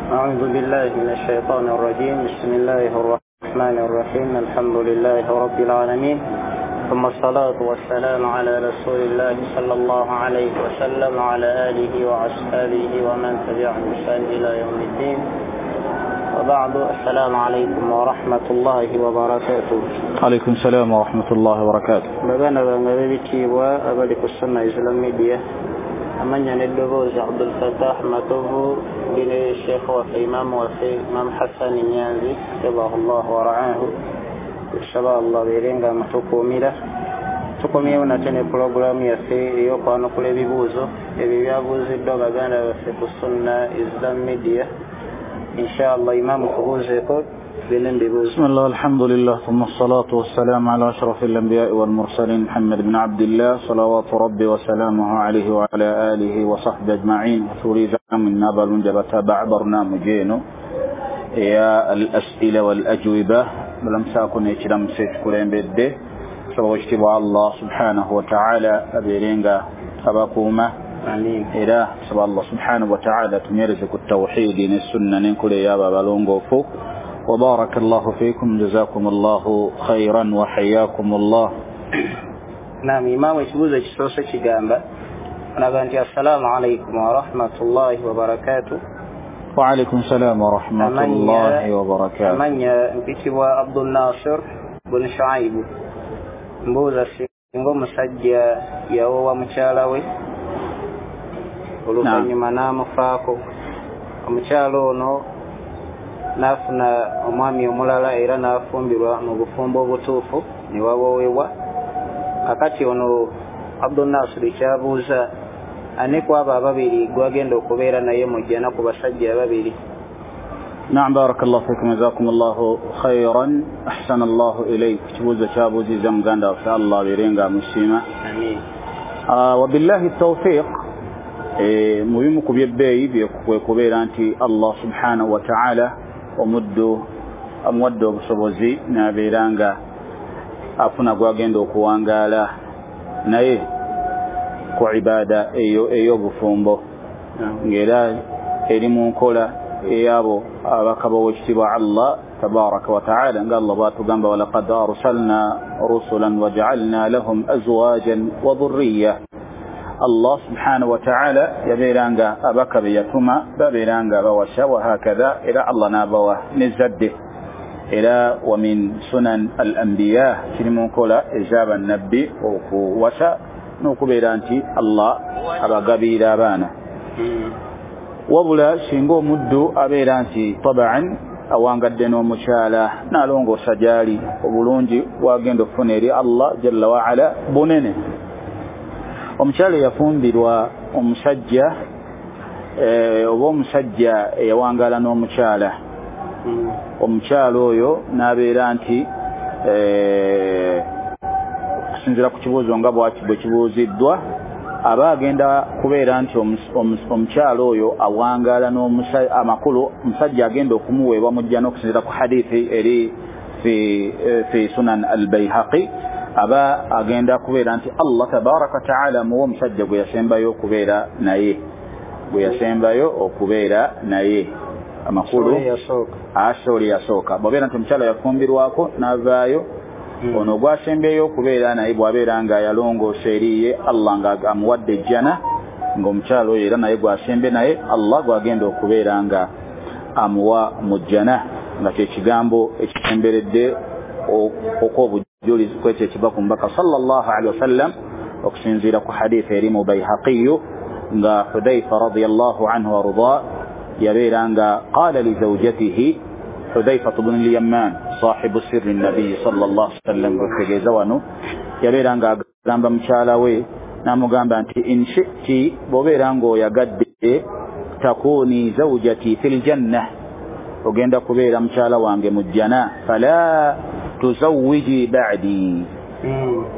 أعوذ بالله من الشيطان الرجيم. بسم الله الرحمن الرحيم. الحمد لله رب العالمين، ثم الصلاة والسلام على رسول الله صلى الله عليه وسلم وعلى آله وأصحابه ومن تبعهم بإحسان إلى يوم الدين، وبعد. السلام عليكم ورحمة الله وبركاته. عليكم السلام ورحمة الله وبركاته. Baganda bange ab'ebitiibwa abali ku Sunna Islam Media, amanya n'eddoboozi Abdul Fatah Matovu, ndi ne Sheikh waffe, Imaamu waffe, Imam Hassan Nyanzi hafidhahullah wa ra'ahu. Tusaba Allah abeere nga amutukuumira. Tukomyewo nate ne pulogulaamu yaffe ey'okwanukula ebibuuzo ebyo byabuuziddwa baganda baffe ku Sunna Islam Media. Inshallah, Imaamu, tubuuzeeko tugende mu bibuuzo. بسم الله، الحمد لله، ثم الصلاة والسلام على أشرف الأنبياء والمرسلين محمد بن عبد الله، صلوات ربي وسلامه عليه وعلى آله وصحبه أجمعين. تريد من نابل جبت برنامج eno eya الأسئلة والأجوبة. Balamusaako n'ekiramuso ekikulembedde. Nsaba ekitiibwa Allah subhanahu wa ta'ala abeere nga abakuuma. Amin. Era nsaba Allah subhanahu wa ta'ala tunywereze ku tawhidi ne sunna n'enkola ey'abo abalongoofu. وبارك الله فيكم، جزاكم الله خيرا وحياكم الله. Naam, Imaamu, ekibuuzo ekisoose kigamba onaga nti assalaamu alaikum warahmatullahi wabarakatuh. وعليكم السلام ورحمة الله وبركاته. Amanya mpitibwa Abdul Nasir bun Shuaibu. Mbuuza, singa omusajja yawoowa mukyala we, oluvannyuma n'amufaako, omukyala ono n'afuna omwami omulala era n'afumbirwa mu bufumbo obutuufu ne waboowebwa, kakati ono Abdul Nasir kyabuuza, ani ku abo ababiri gwagenda okubeera naye mu jjana ku basajja ababiri? نعم، بارك الله فيكم، جزاكم الله خيرا، أحسن الله إليك. Kibuuzo kyabuuzizza muganda waffe, Allah abeere nga amusiima. Amin. وبالله التوفيق. Mu bimu ku byebbeeyi kwe kubeera nti Allah subhanahu wa ta'ala omuddu amuwadde obusobozi n'abeera nga afuna gwagenda okuwangaala naye ku ibada eyo ey'obufumbo, ng'era eri mu nkola ey'abo ababaka b'owekitiibwa Allah tabaraka wa ta'ala, nga Allah bw'atugamba: walaqad arsalna rusulan waja'alna lahum azwajan wa dhurriya. Allah subhanahu wa ta'ala yabeera nga abaka be yatuma babeera nga bawasa wahakadha, era Allah n'abawa n'ezzadde. Era wa min sunan al anbiya, kiri mu nkola ez'abannabbi okuwasa n'okubeera nti Allah abagabiira abaana. Wabula singa omuddu abeera nti tabaan awangadde n'omukyala n'alongoosa gy'ali, obulungi bwagenda okufuna eri Allah jalla waala bunene. Omukyala eyafumbirwa omusajja, oba omusajja eyawangaala n'omukyala, omukyala oyo n'abeera nti, okusinziira ku kibuuzo nga bwe kibuuziddwa, aba agenda kubeera nti omukyala oyo awangaala amakulu omusajja agenda okumuweebwa mu jjana, okusinziira ku hadithi eri fi Sunan al-Bayhaqi, aba agenda kubeera nti Allah tabaraka taala muwa omusajja gwe yasembayo okubeera naye, gwe yasembayo okubeera naye, amakulu asoli yasooka. Bw'abeera nti omukyala yafumbirwako n'avaayo, ono gwasembyeyo okubeera naye bw'abeera nga yalongoosa eriye Allah nga amuwadde ejjana, ng'omukyala oyo era naye gwasembye naye Allah gwagenda okubeera nga amuwa mu jjana, nga kye kigambo ekisemberedde okw'obujulizi kwekyo ekiva ku mubaka sallallahu alaihi wasallam, okusinziira ku hadithi eri mu Bayhaqiyu, nga Hudhaifa radiyallahu anhu warda yabeera nga qala li zawjatihi, Hudhaifa bnu al-Yamman sahibu sirri nabiyi sallallahu alaihi wasallam, kutegeeza wano yabeera nga agamba mukyala we n'amugamba nti in shi'ti, bw'obeera ng'oyagadde, takuni zawjati fil janna, ogenda kubeera mukyala wange mu jjana, fala tuzawwiji ba'di,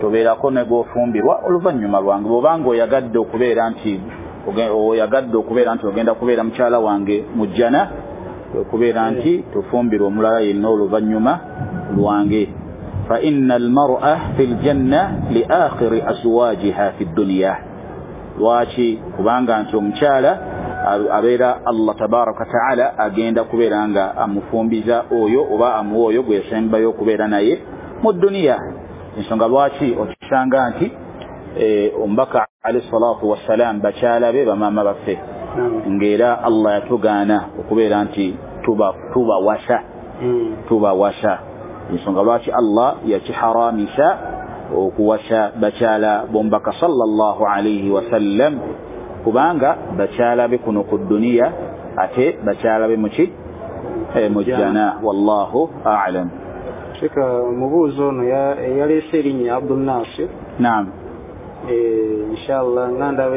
tobeerako ne gw'ofumbirwa oluvannyuma lwange. Bw'obanga oyagadde okubeera nti oyagadde okubeera nti ogenda kubeera mukyala wange mu jjana, okubeera nti tofumbirwa omulala yenna oluvannyuma lwange. Fa inna almar'a fi ljanna li akhiri azwajiha fi dduniya. Lwaki? Kubanga nti omukyala Abeera Allah tabaraka wataala agenda kubeera nga amufumbiza oyo oba amuwa oyo gwe yasembayo okubeera naye mu duniya. Ensonga lwaki okisanga nti omubaka alayhi salatu wassalam bakyala be bamaama baffe, ng'era Allah yatugaana okubeera nti tubawasa tubawasa. Ensonga lwaki Allah yakiharamisa okuwasa bakyala b'omubaka sallallahu alayhi wasallam, kubanga bakyala be kuno ku duniya ate bakyala be muki mu jjana. Wallahu a'lam. Sheikh, omubuuzi ono yaleese erinnya Abdul Nasir. Naam. Inshallah nga ndaba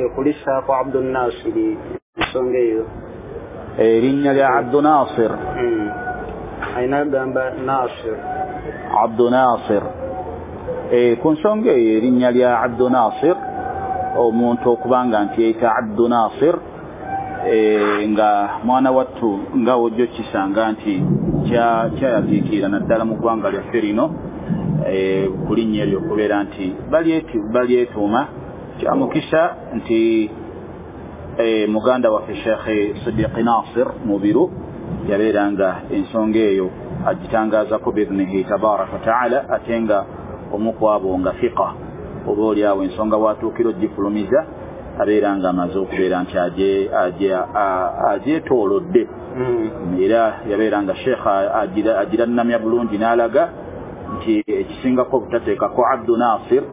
ekulisaako Abdul Nasir ensonga eyo. Erinnya lya Abdul Nasir. Alina agamba Nasir. Abdul Nasir. Ku nsonga eyo erinnya lya Abdul Nasir, omuntu okubanga nti yeeyita Abdul Nasir nga mwana wattu nga wojja okisanga nti kyayatiikirira naddala mu ggwanga lyaffe lino ku linnya eryo okubeera nti balyetuuma. Kyamukisa nti muganda waffe Sheikh Sidiqi Nasir Mubiru yabeera nga ensonga eyo agitangaazako biidhnihi tabaraka wataala, ate nga omu ku abo nga fiqa oba oliawo ensonga watuukira ogifulumiza abeera nga amaze okubeera nti agyetoolodde. Era yabeera nga Sheikh agirannamya bulungi n'alaga nti ekisingako obutateekako Abdu Nasir,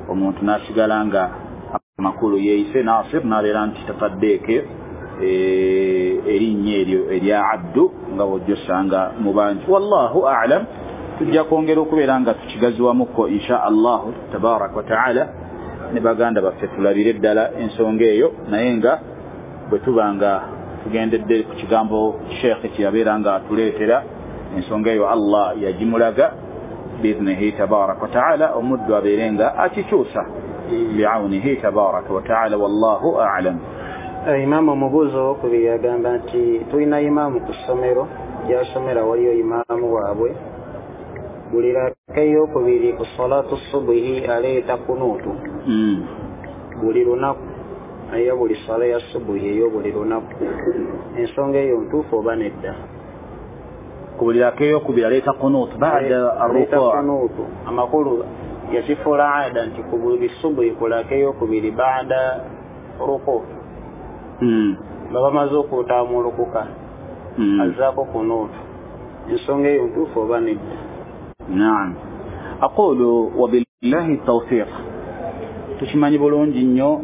omuntu n'asigala nga amakulu yeeyise Nasir n'abeera nti tataddeeko erinnya eryo erya Abdu nga bw'ojja osanga mu bangi. Wallahu a'lam. Tujja kwongera okubeera nga tukigaziwamukko insha Allahu tabaraka wataala ne baganda baffe tulabire ddala ensonga eyo, naye nga bwe tuba nga tugendedde ku kigambo Sheikh kye yabeera nga atuleetera ensonga eyo Allah yagimulaga biidhnihi tabaraka wataala, omuddu abeere nga akikyusa biaunihi tabaraka wataala. Wallahu a'lam. Imaamu omubuuzi owokubiri yagamba nti tulina imaamu ku ssomero gy'asomera, waliyo imaamu waabwe buli raka eyokubiri ku salatu subuhi aleeta kunuutu buli lunaku, eya buli sala ya subuhi ey'obuli lunaku. Ensonga eyo ntuufu oba nedda? Ku buli raka eyokubiri aleeta kunuutu baada arrukuu. Kunuutu amakulu yakifuula ada nti ku buli subuhi ku raka eyokubiri baada ruku nga bamaze okutaamulukuka azzaako kunuutu. Ensonga eyo ntuufu oba nedda? Naam. Aqulu wabillahi tawfiq. Tukimanyi bulungi nnyo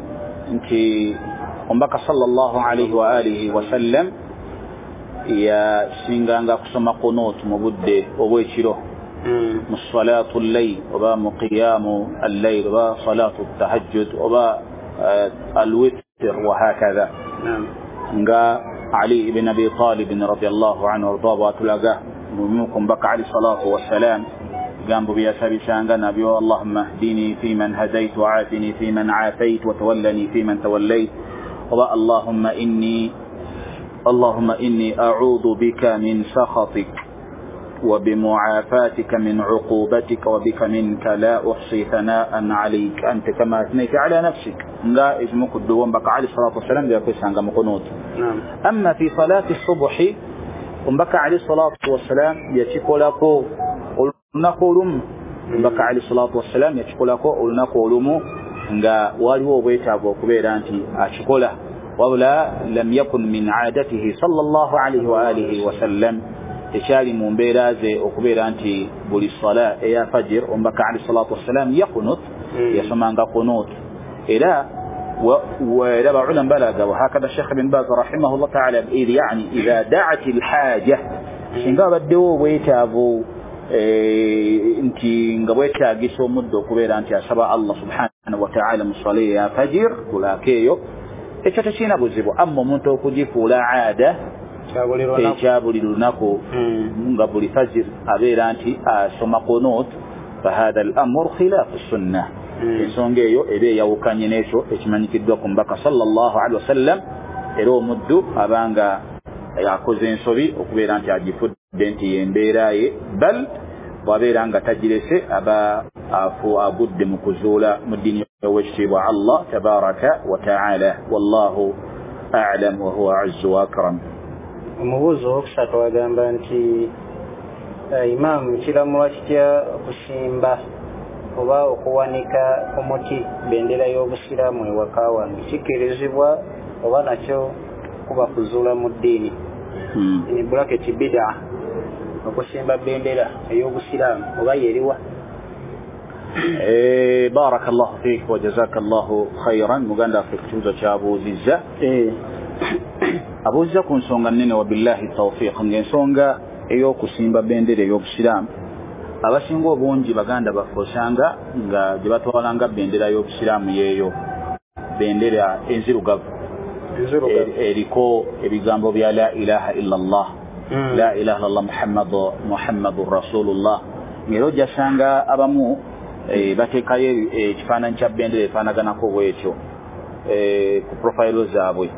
nti omubaka sallallahu alayhi wa alihi wasallam yasinganga kusoma kunuutu mu budde obw'ekiro, mu salatu llayl oba mu qiyamu allayl oba salatu tahajjud oba alwitr wa hakadha. Nga Ali ibn Abi Talib radiyallahu anhu warda bwatulaga mubimu mbaka alayhi salatu wassalam gambo byasabisanga nabyo, Allahumma hdini fi man hadayt wa afini fi man afayt wa tawallani fi man tawallayt, oba Allahumma inni a'udhu bika min sakhatik wa bimu'afatika min 'uqubatika wa bika minka la uhsi thana'an 'alayk anta kama athnayta 'ala nafsik. Nga ezimu ku dduwa mbaka alayhi salatu wassalam byakozesanga mu kunuutu. Amma fi salati subuhi, omubaka alayhi salatu wassalam yakikolako olunaku olumu. Omubaka alayhi salatu wassalam yakikolako olunaku olumu nga waliwo obwetaavu okubeera nti akikola, wabula lam yakun min aadatihi sallallahu alayhi wa alihi wasallam, tekyali mu mbeera ze okubeera nti buli sala eya fajir omubaka alayhi salatu wassalam yakunut, yasomanga kunut. Era ويرى علم بلغ وهكذا الشيخ بن باز رحمه الله تعالى يعني إذا دعت الحاجة singa baddewo obwetaavu nti nga bwetaagisa omuddo okubeera nti asaba Allah subhanahu wa ta'ala mu swala ya fajir kulaako eyo, ekyo tekirina buzibu. Amma omuntu okugifuula aada ekya buli lunaku nga buli fajir abeera nti asoma kunut, fahadha al-amru khilafu sunnah. Ensonga eyo eba eyawukanye n'ekyo ekimanyikiddwa ku mbaka sallallahu alaihi wasallam. Era omuddu abanga akoze ensobi okubeera nti agifudde nti yembeera ye, bal bw'abeera nga tagirese aba agudde mu kuzuula mu ddiini ow'ekitiibwa Allah tabaraka wa taala. Wallahu a'lam wa huwa a'azzu wa akram. Omubuuzi owokusatu agamba nti imaamu kiramulwa kitya okusimba oba okuwanika ku muti bendera y'obusiraamu ewaka wange, kikkirizibwa oba nakyo kuba kuzuula mu ddiini? In bracket bid'a, okusimba bendera ey'obusiraamu oba yeriwa? Barakallahu fik wa jazakallahu khairan. Muganda waffe ku kibuuzo kyabuuzizza, abuuzizza ku nsonga nnene, wabillahi tawfiq, ng'ensonga ey'okusimba bendera ey'obusiraamu abasinga obungi baganda baffe osanga nga gye batwalanga bendera y'obusiraamu yeeyo bendera enzirugavu eriko ebigambo bya la ilaha illa Allah, la ilaha illallah Muhammadur Rasulullah. Ng'era ojjasanga abamu bateekayo ekifaananyi kya bendera efaanaganako bwetyo ku profile zaabwe,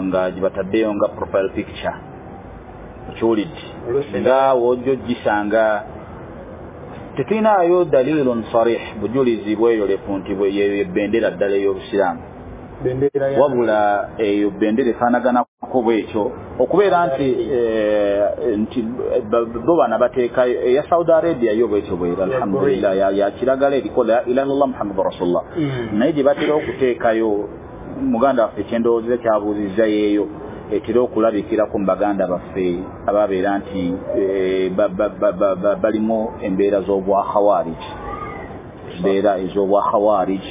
nga gye bataddeyo nga profile picture. Okiwulidde? Nga wojja ogisanga tetulinayo dalilun sarih, bujulizi bweyolefu nti yeyo bendera ddala ey'obusiraamu, wabula eyo bendera efaanaganako bwetyo okubeera nti nti bo bana bateekayo eya Saudi Arabia yo bwetyo bwera, alhamdulillah, ya kiragala eriko la ilaha illallah Muhammadur Rasulullah. Naye gye batera okuteekayo, muganda waffe kyendowooza kyabuuzizza yeeyo etera okulabikirako mu baganda baffe ababeera nti balimu embeera z'obwakhawarij, embeera ez'obwakhawarij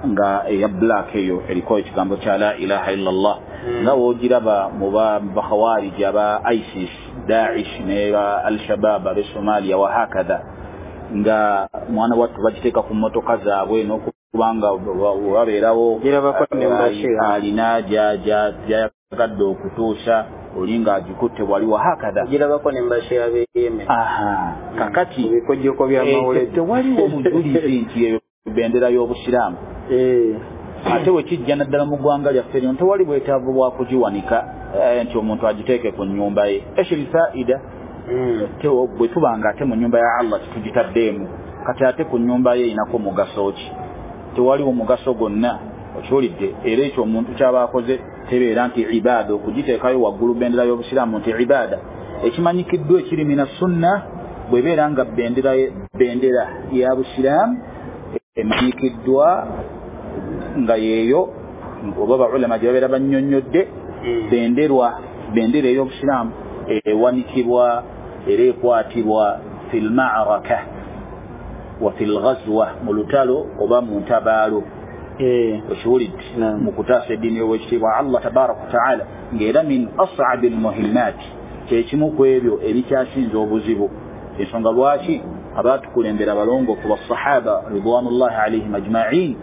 nga eya black eyo eriko ekigambo kya la ilaha illallah, nga woogiraba mu bakhawarij aba ISIS, Daesh ne ba Al-Shabaab ab'e Somalia wahakadha, nga mwana wattu bagiteeka ku mmotoka zaabwe n'okubanga wabeerawo alina gyayagadde okutuusa oli ng'agikutte wali wahakadha. Kakati tewaliwo bujulizi nti eyo bendera y'obusiraamu. Ate we kijja naddala mu ggwanga lyaffe lino tewali bwetaavu bwa kugiwanika nti omuntu agiteeke ku nnyumba ye. Ekiri faida bwe tuba nga ate mu nnyumba ya Allah tetugitaddeemu, kati ate ku nnyumba ye erинako mugaso ki? Tewaliwo mugaso gwonna, okiwulidde? Era ekyo omuntu ky'aba akoze tebeera nti ibaada, okugiteekayo waggulu bendera y'obusiraamu nti ibaada. Ekimanyikiddwa ekiri mina sunna bw'ebeera nga bendera ya busiraamu emanyikiddwa nga yeeyo oba baulama gye babeera bannyonnyodde, bendera ey'obusiraamu ewanikibwa era ekwatibwa fil ma'raka wa fil ghazwa, mu lutalo oba mu ntabaalo. Okiwulidde? Mu kutaasa eddiini y'owekitiibwa Allah tabaraka wataala, ng'era min as'abi lmuhimmaat, kyekimu ku ebyo ebikyasinza obuzibu. Ensonga lwaki abaatukulembera abalongoofu basahaba ridwanullahi alaihim ajma'in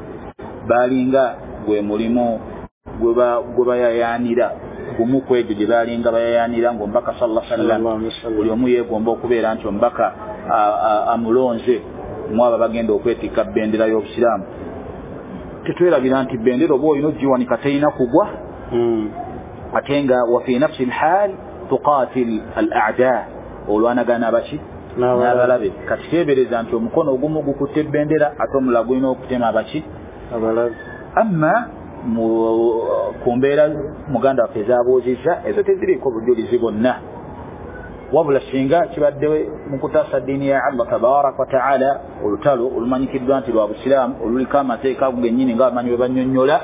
baalinga gwe mulimu gwe bayayaanira, gumu ku egyo gye baalinga bayayaanira ng'omubaka sallallahu alaihi wasallam buli omu yeegomba okubeera nti omubaka amulonze mu abo bagenda okwetikka bendera y'obusiraamu. Tetwerabira nti bendera oba olina ogiwanika terina kugwa, ate nga wa fi nafsi lhal tuqatil al a'da, olwanagana abaki n'abalabe. Kati teebereza nti omukono ogumu gukutte bendera ate omulala gulina okutema abaki abalabe. Amma ku mbeera muganda waffe ezaabuuzizza ezo teziriiko bujulizi bwonna, wabula singa kibadde mu kutaasa ddiini ya Allah tabaraka wa taala, olutalo olumanyikiddwa nti lwa busiraamu oluliko amateeka ago gennyini ng'abamanyi bwe bannyonnyola,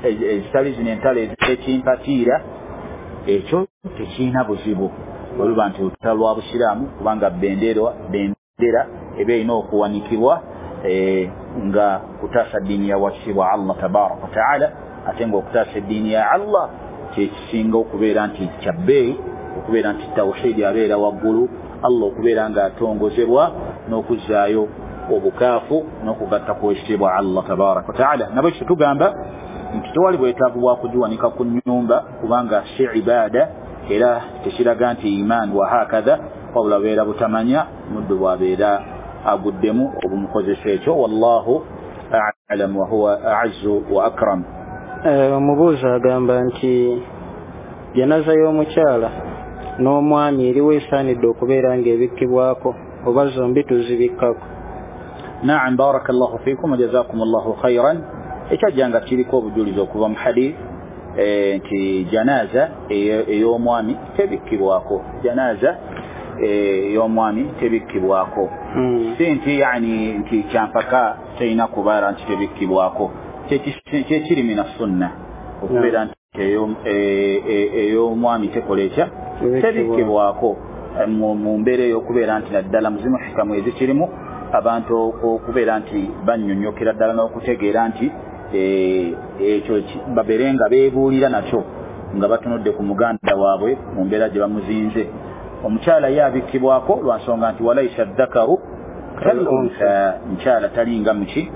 ezitali zino entalo ez'ekimpatiira, ekyo tekirina buzibu oluba nti olutalo lwa busiraamu, kubanga bendera eba erina okuwanikibwa nga kutaasa ddiini ya wakitiibwa Allah tabaraka wa taala, ate ng'okutaasa eddiini ya Allah kyekisinga okubeera nti kya bbeeyi, okubeera nti tawhidi abeera waggulu, Allah okubeera ng'atongozebwa n'okuzzaayo obukaafu n'okugatta ku ekitiibwa Allah tabaraka wa taala. Nabwe ekyo tugamba nti tewali bwetaavu bwa kugiwanika ku nnyumba, kubanga si ibaada era tekiraga nti imaani wahakadha, wabula beera butamanya muddu bw'abeera aguddemu obumukozesa ekyo. Wallahu a'lam wa huwa a'azzu wa akram. Omubuuzi agamba nti janaza y'omukyala n'omwami eriwo esaanidde okubeera ng'ebikkibwako oba zombi tuzibikkako? Naam, barakallahu fikum wa jazakumullahu khairan. Ekyajja nga kiriko obujulizi okuva mu hadith nti janaza ey'omwami tebikkibwako, janaza ey'omwami tebikkibwako. Si nti yani nti kyampaka terina kubeera nti tebikkibwako, kyekiri mina sunna okubeera nti ey'omwami tekola etya, tebikkibwako mu mbeera ey'okubeera nti naddala muzimu hikamu ezikirimu abantu okubeera nti bannyonnyokera ddala n'okutegeera nti ekyo babeere nga beebuulira nakyo nga batunudde ku muganda waabwe mu mbeera gye bamuzinze. Omukyala ye abikkibwako lwa nsonga nti walaisa ddakaru kal untha, mukyala talinga muki,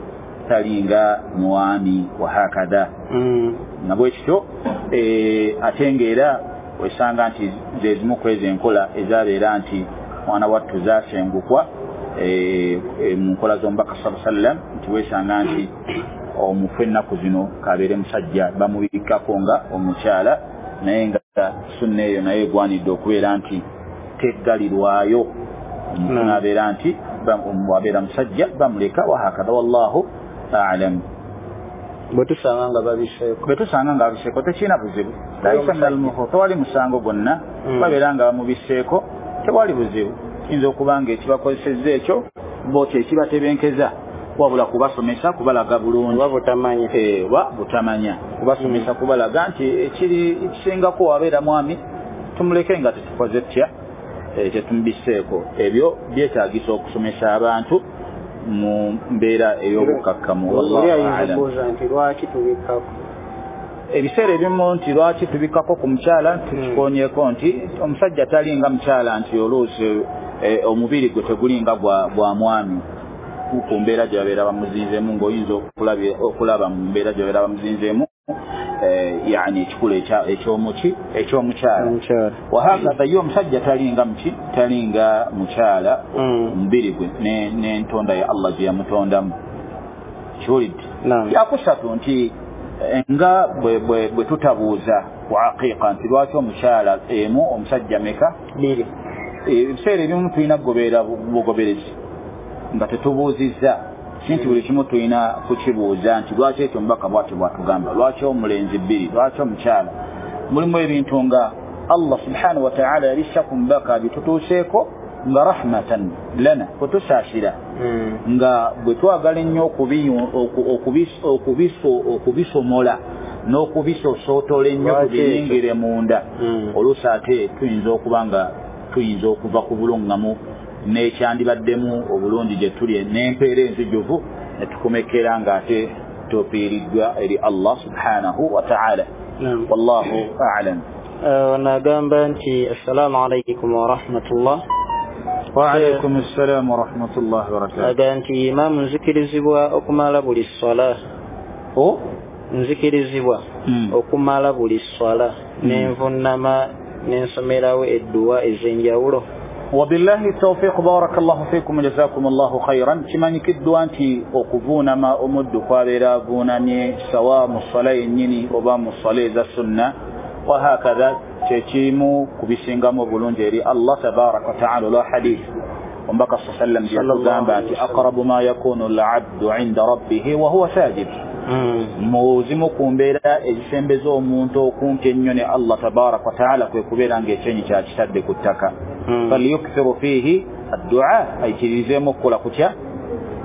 talinga mwami, wahakadha. Nga bwe kityo ate ng'era osanga nti ze zimu ku ezo enkola ezabeera nti mwana wattu zaasengukwa mu nkola z'omubaka sallallahu alaihi wasallam, nti weesanga nti omufu ennaku zino kabeere musajja bamubikkako nga omukyala, naye nga sunna eyo naye egwanidde okubeera nti teggalirwayo. Omufu n'abeera nti wabeera musajja bamuleka, wahakadha. Wallahu a'lam. Bwe tusanga nga babiseeko, bwe tusanga nga babiseeko tekirina buzibu, laisa minal muhu, tewali musango gwonna. Babeera nga bamubiseeko tewali buzibu, kiyinza okuba nga ekibakozesezza ekyo bo kyekibatebenkeza, wabula kubasomesa kubalaga bulungi oba butamanya, oba butamanya, kubasomesa kubalaga nti ekiri ekisingako wabeera mwami tumuleke nga tetukoze tutya, tetumubiseeko. Ebyo byetaagisa okusomesa abantu mu mbeera ey'obukakkamu. Wallahu a'lam. Nti lwaki tubikkako ebiseera ebimu, nti lwaki tubikkako ku mukyala, tukikonyeeko nti omusajja talinga mukyala, nti oluusi omubiri gwe tegulinga gwa mwami ku mbeera gye babeera bamuzinzeemu, ng'oyinza okulaba mu mbeera gye babeera bamuzinzeemu yani ekikula ekyomuki ekyomukyala. Wahakadha ye omusajja talinga muki, talinga mukyala, omubiri gwe n'entonda ya Allah gye yamutondamu. Kiwulidde? Kyakusatu nti nga bwe tutabuuza ku aqiqa nti lwaki omukyala emu omusajja meka bbiri, ebiseera ebimu tulina kugoberera bugoberezi nga tetubuuzizza, si nti buli kimu tulina kukibuuza nti lwaki ekyo omubaka bw'atyo bw'atugamba, lwaki omulenzi bbiri, lwaki omukyala. Mulimu ebintu nga Allah subhanahu wa ta'ala yalissa ku mubaka bitutuuseeko nga rahmatan lana, kutusaasira, nga bwe twagala ennyo okubisomola n'okubisosootola ennyo tubiyingire munda, oluusi ate tuyinza okuba nga tuyinza okuva ku bulungamu n'ekyandibaddemu obulungi gye tuli n'empeera enzijuvu ne tukomekera ng'ate tufiiriddwa eri Allah subhanahu wa ta'ala. Wallahu a'lam. Nagamba nti assalamu alaikum wa rahmatullah. Wa alaikum assalam wa rahmatullahi wa barakatuh. Agamba nti imaamu nzikirizibwa okumala buli swala, nzikirizibwa okumala buli swala nenvunnama nensomerawo edduwa ez'enjawulo. Wabillahi tawfiq, barakallahu fikum, jazakumullahu khairan. Kimanyikiddwa nti okuvuunama omuddu kwabeera avuunamye sawa mu ssala yennyini oba mu ssala eza sunna, wahakadha, kyekimu ku bisingamu obulungi eri Allah tabaraka wa taala. Olwa hadith omubaka sa sallam yatugamba nti aqrabu ma yakunu al-abdu inda rabbihi wa huwa sajid, mu zimu ku mbeera ezisembeza omuntu okumpi ennyo ne Allah tabaraka wa taala kwe kubeera ng'ekyenyi kyakitadde ku ttaka. Falyukthiru fiihi addua, ayikirizeemu okukola kutya,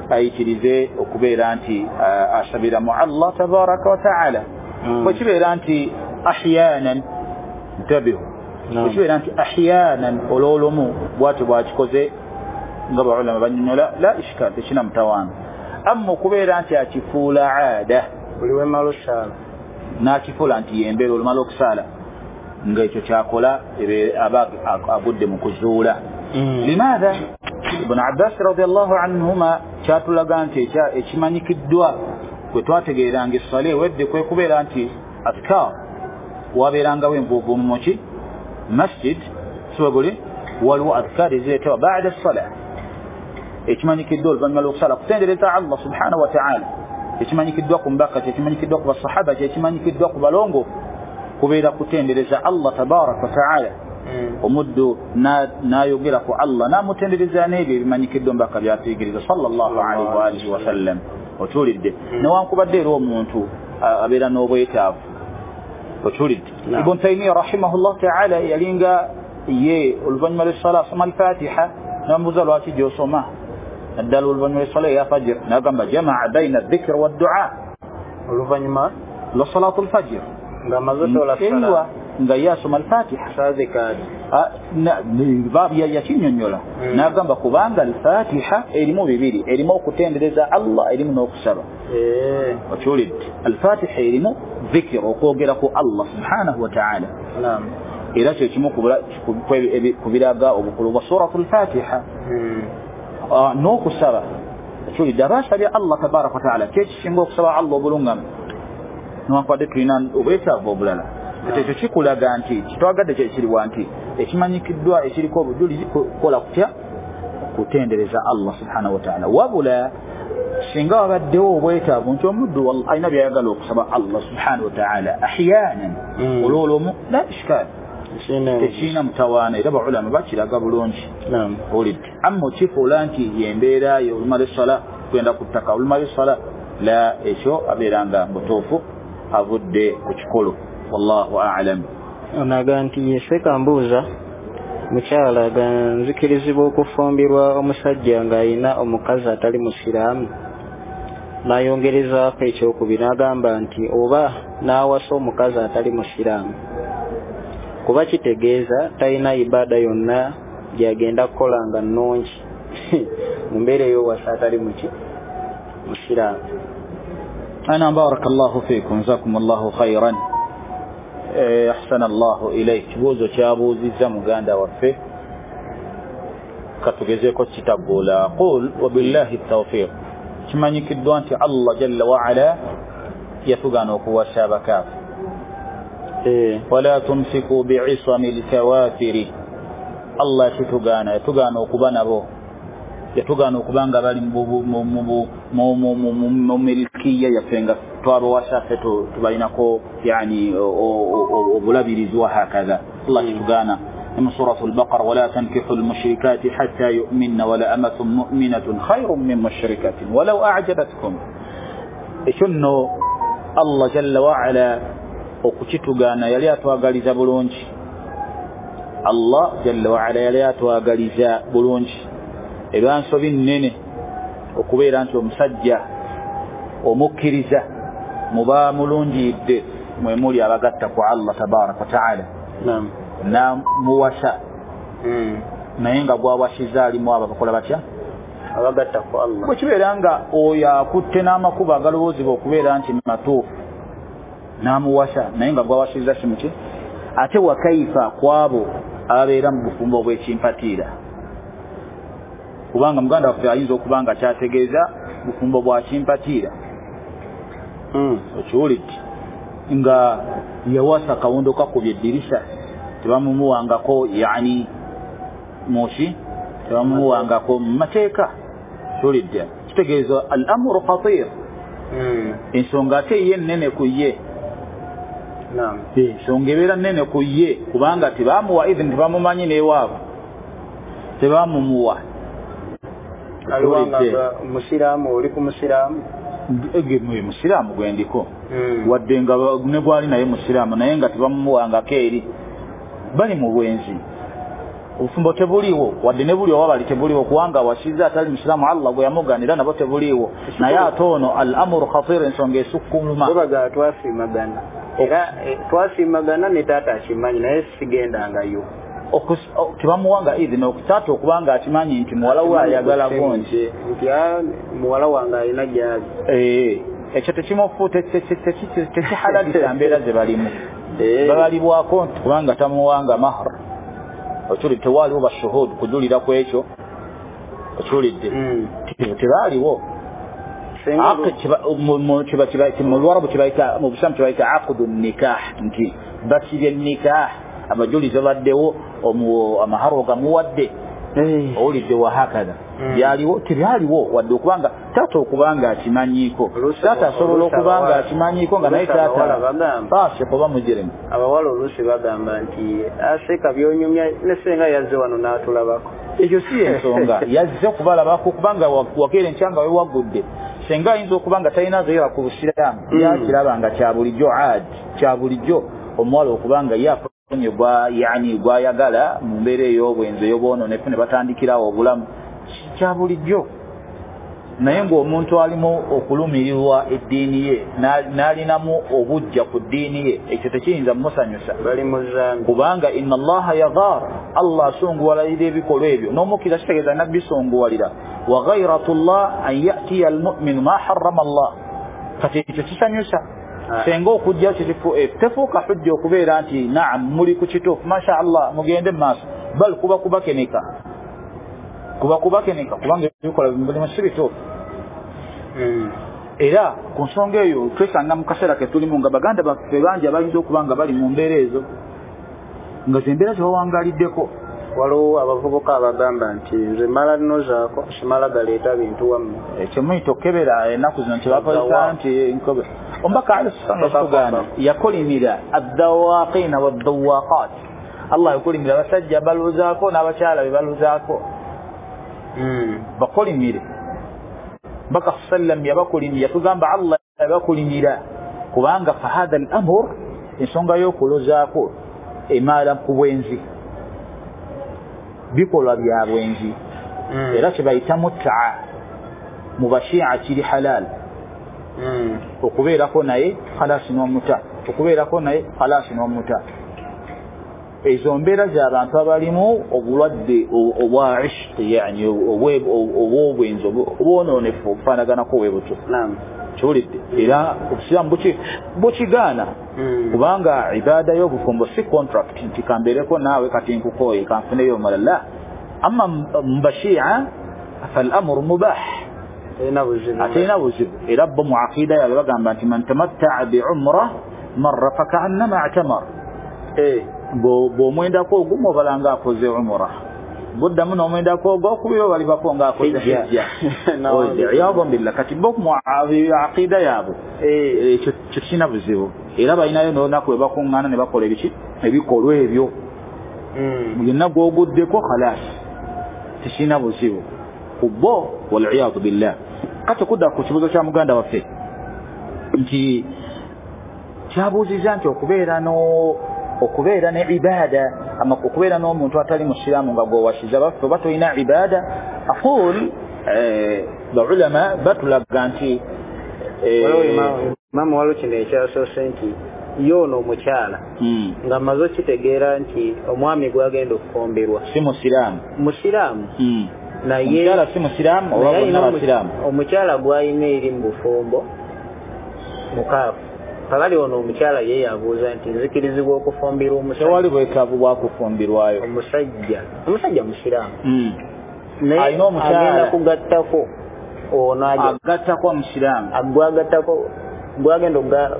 ayikirize okubeera nti asabira mu Allah tabaraka wa taala. Bwe kibeera nti ahyanan, ntabihu, bwe kibeera nti ahyanan olw'olumu bw'atyo bw'akikoze nga baulama bannyonnyola, la ishkal, tekina mutawaana. Amma okubeera nti akifuula aada, buli wemala okusaala n'akifuula nti yembeera olumala okusaala nga ekyo kyakola aba agudde mu kuzuula. Limaatha Ibn Abbas radiyallahu anhuma kyatulaga nti ekimanyikiddwa kwe twategeeranga essala ewedde kwe kubeera nti adhkar wabeerangawo envuuvuumu muki masjid, sibwe waliwo adhkar ezireetebwa baada essala, ekimanyikiddwa oluvannyuma lw'okusala kutendereza Allah subhanahu wa ta'ala, ekimanyikiddwa ku mubaka, kyekimanyikiddwa ku basahaba, kyekimanyikiddwa ku balongoofu, kubeera kutendereza Allah tabaraka wa ta'ala. Omuddu n'ayogera ku Allah n'amutendereza n'ebyo ebimanyikiddwa omubaka byatuyigiriza sallallahu alaihi wa alihi wasallam. Okiwulidde? Newankubadde era omuntu abeera n'obwetaavu. Okiwulidde? Ibn Taymiya rahimahullah taala yalinga ye oluvannyuma lw'essala asoma Alfatiha, namubuuza lwaki gy'osoma naddala oluvannyuma lw'essala eya fajir, n'agamba jamaa baina dhikr waddua, oluvannyuma lwa salatu lfajir nga nga ye asoma Alfatiha yakinnyonnyola n'agamba kubanga Alfatiha erimu bibiri, erimu okutendereza Allah, erimu n'okusaba. Okiwulidde? Alfatiha erimu dhikr, okwogera ku Allah subhanahu wa taala. Era kyo kimu ku biraga obukulu bwa suratu Lfatiha n'okusaba. Okiwulidde? Aba asabye Allah tabaraka wa taala, kyekisinga okusaba Allah obulungamu, newankubadde tulina obwetaavu obulala. Ekyo kikulaga nti kitwagadde kyekiriwa nti ekimanyikiddwa ekiriko obujulizi kukola kutya kutendereza Allah subhanahu wa taala. Wabula singa wabaddewo obwetaavu nti omuddu alina byayagala okusaba Allah subhanahu wa taala ahyanan olwolumu, la ishkaal, tekirina mutawaana, era baulama bakiraga bulungi. Owulidde? Amma okifuula nti yembeera ye olumala essala kugenda ku ttaka, olumala essala la, ekyo abeera nga butuufu avudde ku kikolo. Wallahu a'lam. Onaga nti yeseka mbuuza mukyala ga nzikirizibwa okufumbirwa omusajja ng'alina omukazi atali musiraamu, n'ayongerezaako ekyokubiri n'agamba nti oba n'awasa omukazi atali musiraamu kuba kitegeeza talina ibaada yonna gy'agenda kukola nga nnungi mu mbeera ey'owasa atali muki musiraamu. Ana barakallahu fiikum, jazakumullahu khairan, ahsana Allahu ilayk. Kibuuzo kyabuuzizza muganda waffe, katugezeeko kitaggula. Qul wabillahi tawfiq. Kimanyikiddwa nti Allah jalla waala yatugaana okuwasa abakaafu. Wala tumsiku bi'isami lkawafiri, Allah kitugaana, yatugaana okuba nabo, yatugaana okuba nga bali mu milkiya yaffe nga twabawasa ffe tubalinako yani obulabirizi wa hakadha. Allah kitugaana mu suratu Albaqara, wala tankihu lmushrikati hatta yuminna wala amatun muminatun khairun min mushrikatin walau ajabatkum. Ekyo nno Allah jalla waala okukitugaana yali atwagaliza bulungi. Allah jalla waala yali atwagaliza bulungi. Eba nsobi nnene okubeera nti omusajja omukkiriza muba mulungiyidde mwe muli abagatta ku Allah tabaraka wa taala namuwasa, naye nga gwawasiza alimu abo abakola batya abagatta ku Allah. Bwe kibeera nga oyo akutte n'amakubo agalowoozebwa okubeera nti matuufu n'amuwasa, naye nga gwawasiza si muki, ate wakaifa kwabo ababeera mu bufumbo obw'ekimpatiira, kubanga muganda waffe ayinza okuba nga kyategeeza bufumbo bwa kimpatiira. Okiwulidde? Nga yawasa kawundo kakubye eddirisa, tebamumuwangako yani muki, tebamumuwangako mu mateeka. Okiwulidde? Kitegeeza al amru khatir, ensonga ate ye nnene ku ye. Ensonga ebeera nnene ku ye kubanga tebamuwa idhini, tebamumanyi n'ewaabwe, tebamumuwa. Musiraamu oli ku musiraamu, musiraamu gwendiko wadde nga ne gwali naye musiraamu, naye nga tebamumuwangako eri, bali mu bwenzi, obufumbo tebuliiwo, wadde ne buli oba bali tebuliiwo, kubanga awasizza atali musiraamu Allah gwe yamugaanira nabo tebuliiwo. Naye ate ono al amru khatir, ensonga esukkuluma. Babaga twasiimagana, era twasiimagana ne taata akimanyi, naye sigendangayo. Tebamuwanga idhini taata okuba nga akimanyi nti muwala we ayagala gonje, nti muwala wange alina gyali. Ekyo tekihalalisa mbeera ze balimu, babalibwako nti kubanga tamuwanga mahar. Okiwulidde? Tewaaliwo bashuhud kujulira ku ekyo. Okiwulidde? Tebaaliwo. Mu Luwarabu kibayita, mu Busiraamu kibayita aqdu nikah, nti basibye nikah, abajulizi babaddewo, amaharo gamuwadde. Owulidde? Wahakadha byaliwo tebyaliwo, wadde okubanga taata okubanga akimanyiiko, taata asobola okubanga akimanyiiko nga naye taata fasik oba mujirimu. Abawala oluusi bagamba nti aseka byonyumya ne senga yazze wano n'atulabako. Ekyo si ensonga, yazze okubalabako kubanga wakeera enkya nga wewaggudde. Senga ayinza okuba nga talina ghaira ku busiraamu, yakiraba nga kya bulijjo, adi kya bulijjo omuwala okuba nga ye afunye yani gwayagala mu mbeera ey'obwenzi ey'obwononefu ne batandikirawo obulamu, kya bulijjo. Naye ng'omuntu alimu okulumirirwa eddiini ye n'alinamu obujja ku ddiini ye, ekyo tekiyinza mumusanyusa, kubanga inna Allaha yaghar, Allah asunguwalira ebikolwa ebyo, n'omukkiriza kitegeeza nabbi sunguwalira. Wa ghayratullah an ya'tiya almu'minu ma harrama Allah, kati ekyo kisanyusa. Senga okujja tefuuka hujja okubeera nti naam muli ku kituufu, masha Allah mugende mu maaso, bal kuba kubakenika, kubanga ebikola mulimu si bituufu. Era ku nsonga eyo twesanga mu kaseera ke tulimu nga baganda baffe bangi abayinza okuba nga bali mu mbeera ezo, nga zembeera zebawangaliddeko. Waliwo abavubuka abagamba nti nze mala nnozaako simala galeeta bintu wammwe, kyemuyita okukebera ennaku zino kyebakozesa nti nkobe. Omubaka alayhi yakolimira addawaqina waddawaqat, Allah yakolimira abasajja baluzaako n'abakyala be baluzaako, bakolimire. Mbaka sallam yabakolimira, yatugamba Allah yabakolimira, kubanga fahadha al-amr, ensonga y'okulozaako emala ku bwenzi, bikolwa bya bwenzi. Era kyebayita mut'a mu bashia kiri halal, okubeerako naye khalasi n'omuta, okubeerako naye khalasi n'omuta. Ezo mbeera z'abantu abalimu obulwadde obwa ishqi, yani obw'obwenzi obwonoonefu obufaanaganako bwe butyo. Kiwulidde? Era obusiraamu bukigaana, kubanga ibaada y'obufumbo si contract nti kambeereko naawe kati nkukooye kanfuneyo omulala. La, amma mu bashia fal-amru mubah, aterina buzibu. Era bo mu aqida yaabwe bagamba nti man tamatta'a bi umra marra faka'annama i'tamar, bw'omwendako ogumu obala ng'akoze umra, buddamu n'omwendako ogwokubiri obalibako ng'akoze hijja. Iyadhan billah. Kati bo mu aqida yaabwe ekyo kirina buzibu, era balinayo n'olunaku lwe bakuŋŋaana ne bakola ebiki ebikolwa ebyo, byonna gw'oguddeko khalas, tekirina buzibu ku bo, waliyadu billah. Kati okudda ku kibuuzo kya muganda waffe nti kyabuuziza nti okubeera ne ibada, ama okubeera n'omuntu atali musiraamu nga gw'owasiza baffe oba tolina ibada, aqul baulama batulaga nti Imamu waliwo kino ekyasoose nti ye ono omukyala nga amaze okitegeera nti omwami gw'agenda okufumbirwa si musiraamu, musiraamu naye omukyala si musiraamu oba bonna basiraamu, omukyala gw'alina eri mu bufumbo mukaafu. Kakati ono omukyala ye yabuuza nti nzikirizibwa okufumbirwa omusajja? Tewali bwetaavu bwa kufumbirwayo. Omusajja musiraamu naye alina omukyala agenda kugattako ono agattako omusiraamu, gwagattako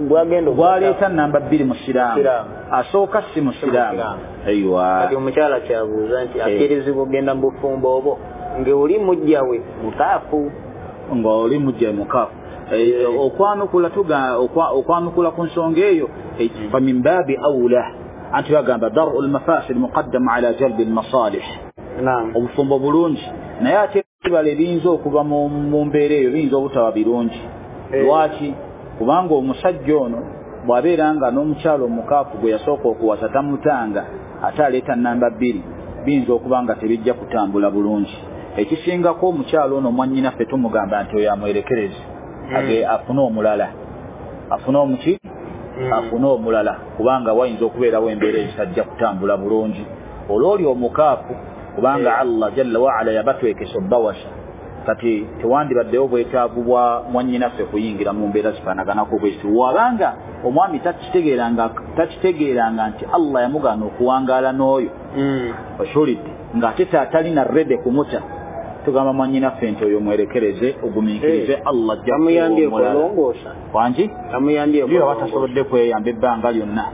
gwagenda gwaleeta namba 2 musiraamu, asooka si musiraamu. Aiwa, kati omukyala kyabuuza nti akkirizibwa okugenda mu bufumbo obwo ng'oli mujja we mukaafu, ng'oli mujja we mukaafu. Okwanukula okwanukula ku nsonga eyo fa min baabi awla, anti bagamba daru lmafasid muqaddamu ala jalbi lmasalih. Obufumbo bulungi, naye ate ebibala ebiyinza okuva mu mbeera eyo biyinza obutaba birungi. Lwaki? Kubanga omusajja ono bw'abeera nga n'omukyala omukaafu gwe yasooka okuwasa tamutanga, ate aleeta namba 2, biyinza okuba nga tebijja kutambula bulungi. Ekisingako omukyala ono mwannyinaffe tumugamba nti oyo amwerekereze, afune omulala, afune omuki, afune omulala, kubanga wayinza okubeerawo embeera ezitajja kutambula bulungi. Olwoli omukaafu, kubanga Allah jalla waala yabatwekesa obbawasa, kati tewandibaddewo bwetaavu bwa mwannyinaffe kuyingira mu mbeera zifaanaganako bwezi. Wabanga omwami takitegeeranga nti Allah yamugaana okuwangaala n'oyo, okiwulidde, ng'ate talina rede kumuta, tugamba mwannyinaffe nti oyo mwerekereze, ogumiikirize, Allah ajja kulongoosa. Wangi amuyambye aba tasobodde kweyamba ebbanga lyonna,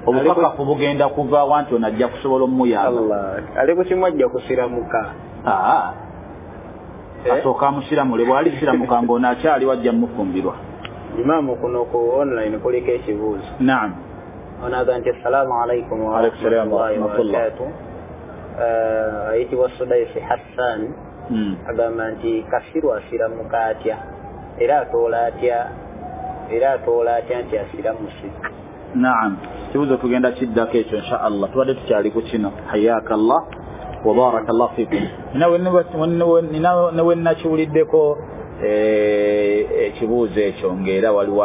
obukakafu bugenda kuva wanti ono ajja kusobola omuyamba. Ali ku kimu ajja kusiramuka. Asooka amusiramule, bw'alisiramuka ng'ono akyali wajja mmufumbirwa. Imaamu kuno ku online kuliko ekibuuzo. Naam. Ono agamba nti assalaamu alaikum warahmatullahi wabarakatuh. Ayitibwa Sudaisi Hassan Agamba nti kasiru asiramuka atya, era atoola atya nti asiramuse? Naam, kibuuzo tugenda kiddako ekyo insha Allah, tubadde tukyali ku kino. Hayaka Allah wa baraka Allah fikum. Nawe nakiwuliddeko ekibuuzo ekyo ng'era waliwo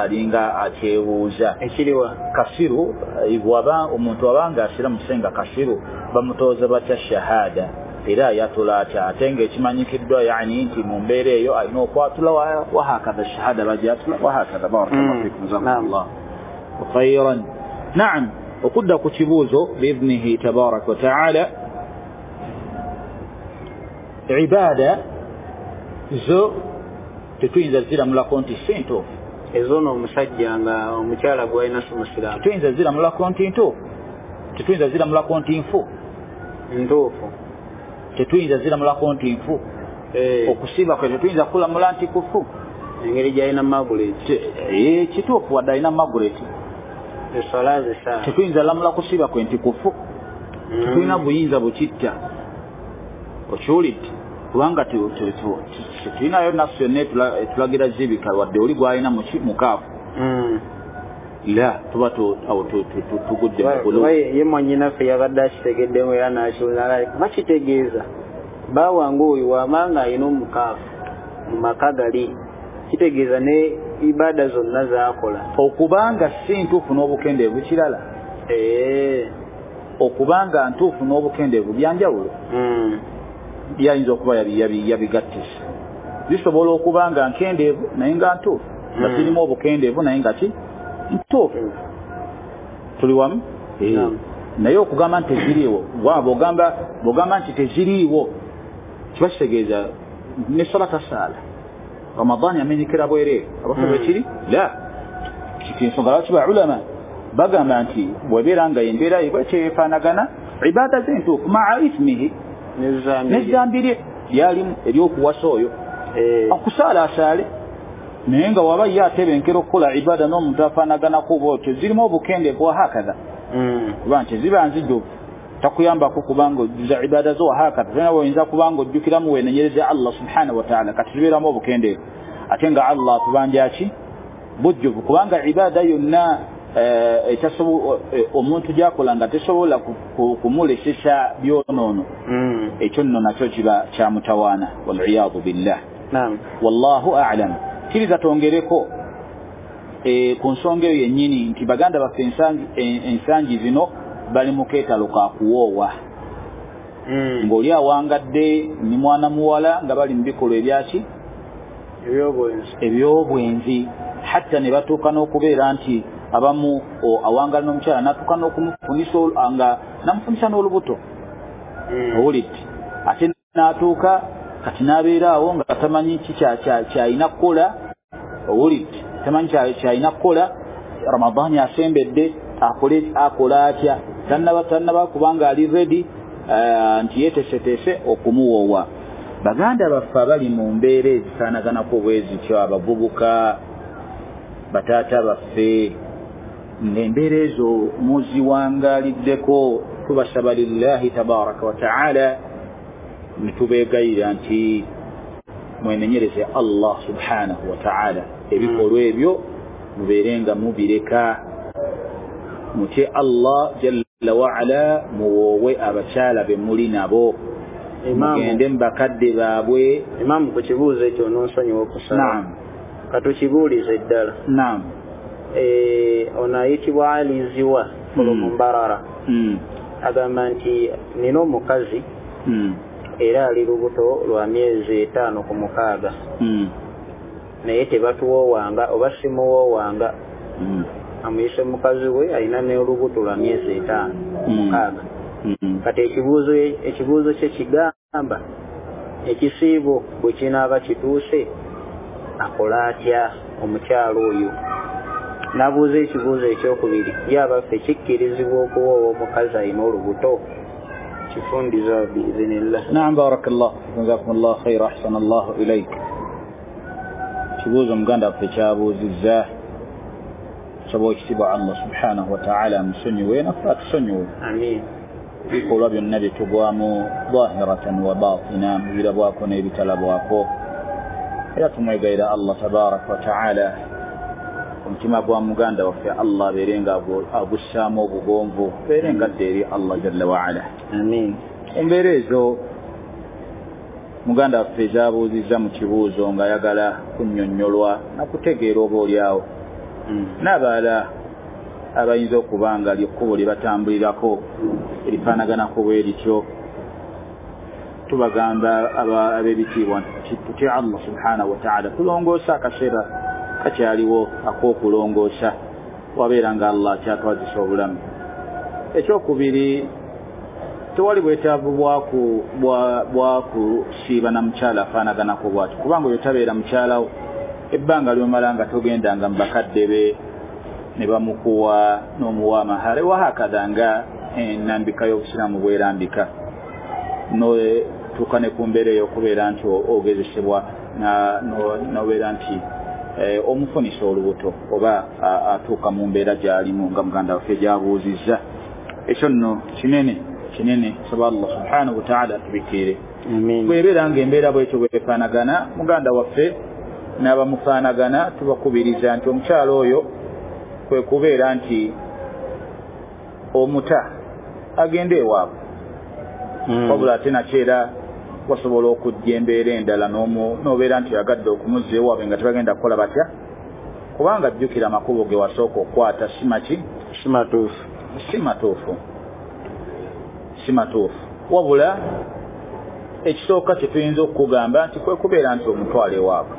alinga akyebuuza ekiriwa kasiru waba omuntu wabanga asiramuse nga kasiru bamutooza batya shahada, era ayatula atya, ate ng'ekimanyikiddwa yani nti mu mbeera eyo alina okwatula wahakadha shahada bajatula wahakadha. Barakallahu fikum, jazakumullah khairan. Naam, okudda ku kibuuzo biidhnihi tabaraka wa taala, ibada zo tetuyinza ziramulako nti si ntuufu. Ezono omusajja nga omukyala gw'alina si musiraamu tetuyinza ziramulako nti ntuufu, tetuyinza ziramulako nti nfu ntuufu, tetuyinza ziramulako nti nfu. Okusiiba kwe tetuyinza kulamula nti kufu, engeri gy'alina Margaret kituufu wadde alina Margaret eswala zisaala tetuyinza lamula kusiiba kwe nti kufu, tetulina buyinza bukitta. Okiwulidde? Kubanga tetulinayo nafsi yonna etulagira zibika wadde oli gw'alina mukaafu la tuba tugudde mugulu. Ye mwannyinaffe yabadde akitegeddemu era n'akiwulira bakitegeeza bawange oyo wamanga alina omukaafu mu maka gali, kitegeeza ne ibada zonna z'akola okubanga si ntuufu n'obukendeevu kirala, okubanga ntuufu n'obukendeevu byanjawulo. Yayinza okuba yabigattisa, bisobola okuba nga nkendeevu naye nga ntuufu, nga zirimu obukendeevu naye nga ki ntuufu. Tuli wamu? Naye okugamba nti teziriiwo, bw'ogamba nti teziriiwo kiba kitegeeza ne swala tasaala, Ramadani amenyekera bwereere abafu bwekiri la ensonga lwaki ba ulama bagamba nti bw'ebeera nga embeera ye bwekyefaanagana ibada ze ntuufu maa ithmihi, n'ezzambi lye lyalimu ery'okuwasa oyo okusaala asaale, naye nga waba ye atebenkera okukola ibada n'omuntu afaanaganako bwotyo zirimu obukendeevu wahakadha, kuba nti ziba nzijuvu takuyambako kubanga ojjuza ibada zo wahakadha, tolina bw'oyinza kubanga ojjukiramu weenenyereza Allah subhanahu wa taala, kati zibeeramu obukendeevu ate nga Allah atubanja ki bujjuvu, kubanga ibada yonna omuntu gy'akola nga tesobola kumulesesa byonoono, ekyo nno nakyo kiba kyamutawaana, waliyadu billah. Wallahu a'lam. Kkiriza twongereko ku nsonga eyo yennyini nti baganda baffe ensangi zino bali mu keetalo ka kuwoowa, ng'oli awangadde ni mwana muwala nga bali mu bikolwa ebyaki ebyobwenzi, hatta ne batuuka n'okubeera nti abamu awangala n'omukyala n'atuuka n'okumufunisa nga namufunisa n'olubuto. Owulidde? Ate n'atuuka kati n'abeera awo nga tamanyi ki kyalina kukola. Owulidde? Tamanyi kyalina kukola, Ramadani asembedde akola atya, tannaba kubanga ali ready nti yeeteeseteese okumuwoowa. Baganda baffe abali mu mbeera ezifaanaganako bwe zityo, abavubuka, bataata baffe, ng'embeera ezo muziwangaaliddeko, tubasaba lillahi tabaraka wa taala ne tubeegayirira nti mwenenyereze Allah subhanahu wa taala, ebikolwa ebyo mubeere nga mubireka, mutye Allah jalla waala, muwoowe abakyala be muli nabo, mugende mu bakadde baabwe. Imaamu, ku kibuuzo ekyo onoonsonyiwa okusaba. Naam, katukibuulize ddala. Naam. Ono ayitibwa Ali Ziwa Mbarara agamba nti nina omukazi era ali lubuto lwa myezi 5 ku 6, naye tebatuwoowanga oba simuwoowanga. Amuyise mukazi we alina n'olubuto lwa myezi 5 ku 6. Kati ekibuuzo kye kigamba ekisiibo bwe kinaaba kituuse akola atya omukyalo oyo? N'abuuza ekibuuzo ekyokubiri, ye abaffe kikkirizibwa okuwoowa omukazi alina olubuto? Kifundiza biizinillah. Naam, barakallah, jazakumullah khaira, ahsanallahu ilaik. Kibuuzo muganda waffe kyabuuzizza, tusaba ekitiibwa Allah subhanahu wa taala amusonyiwe naffe atusonyiwe. Amiin. bikolwa byonna bye tugwamu zahiratan wa batina, mu birabwako n'ebitalabwako. Era tumwegayira Allah tabaraka wa taala omutima gwa muganda waffe Allah abeere nga agussaamu obugonvu, abeere nga adda eri Allah jalla waala. Amiin. Embeera ezo muganda waffe zaabuuzizza mu kibuuzo ng'ayagala kunnyonnyolwa nakutegeera oba oliawo n'abalala abayinza okuba nga lyekkubo lye batambulirako erifaanaganako bwe lityo, tubagamba ab'ebitiibwa nti tutye Allah subhanahu wa taala, tulongoosa akaseera kakyaliwo ak'okulongoosa wabeera nga Allah akyatwazisa obulamu. Ekyokubiri, tewali bwetaavu bwakusiiba na mukyala afaanaganako bw'atyo, kubanga oyo tabeera mukyalawo ebbanga lyomala nga togendanga mu bakadde be ne bamukuwa n'omuwa amahare wahakadha nga ennambika y'obusiraamu bwerambika, notuuka ne ku mbeera ey'okubeera nti ogezesebwa nobeera nti omufunisa olubuto oba atuuka mu mbeera gy'alimu nga muganda waffe gy'abuuzizza. Ekyo nno kinene kinene, saba Allah subhanahu wa taala atubikire. Bw'ebeera ng'embeera bwetyo bwefaanagana, muganda waffe n'abamufaanagana tubakubiriza nti omukyala oyo kwe kubeera nti omuta agende ewaabwe, wabula ate nakyera wasobola okujja embeera endala n'obeera nti oyagadde okumuzza ewaabwe nga tebagenda kukola batya, kubanga jjukira amakubo ge wasooka okukwata si maki, si matuufu, si matuufu, si matuufu. Wabula ekisooka kye tuyinza okukugamba nti kwe kubeera nti omutwala ewaabwe,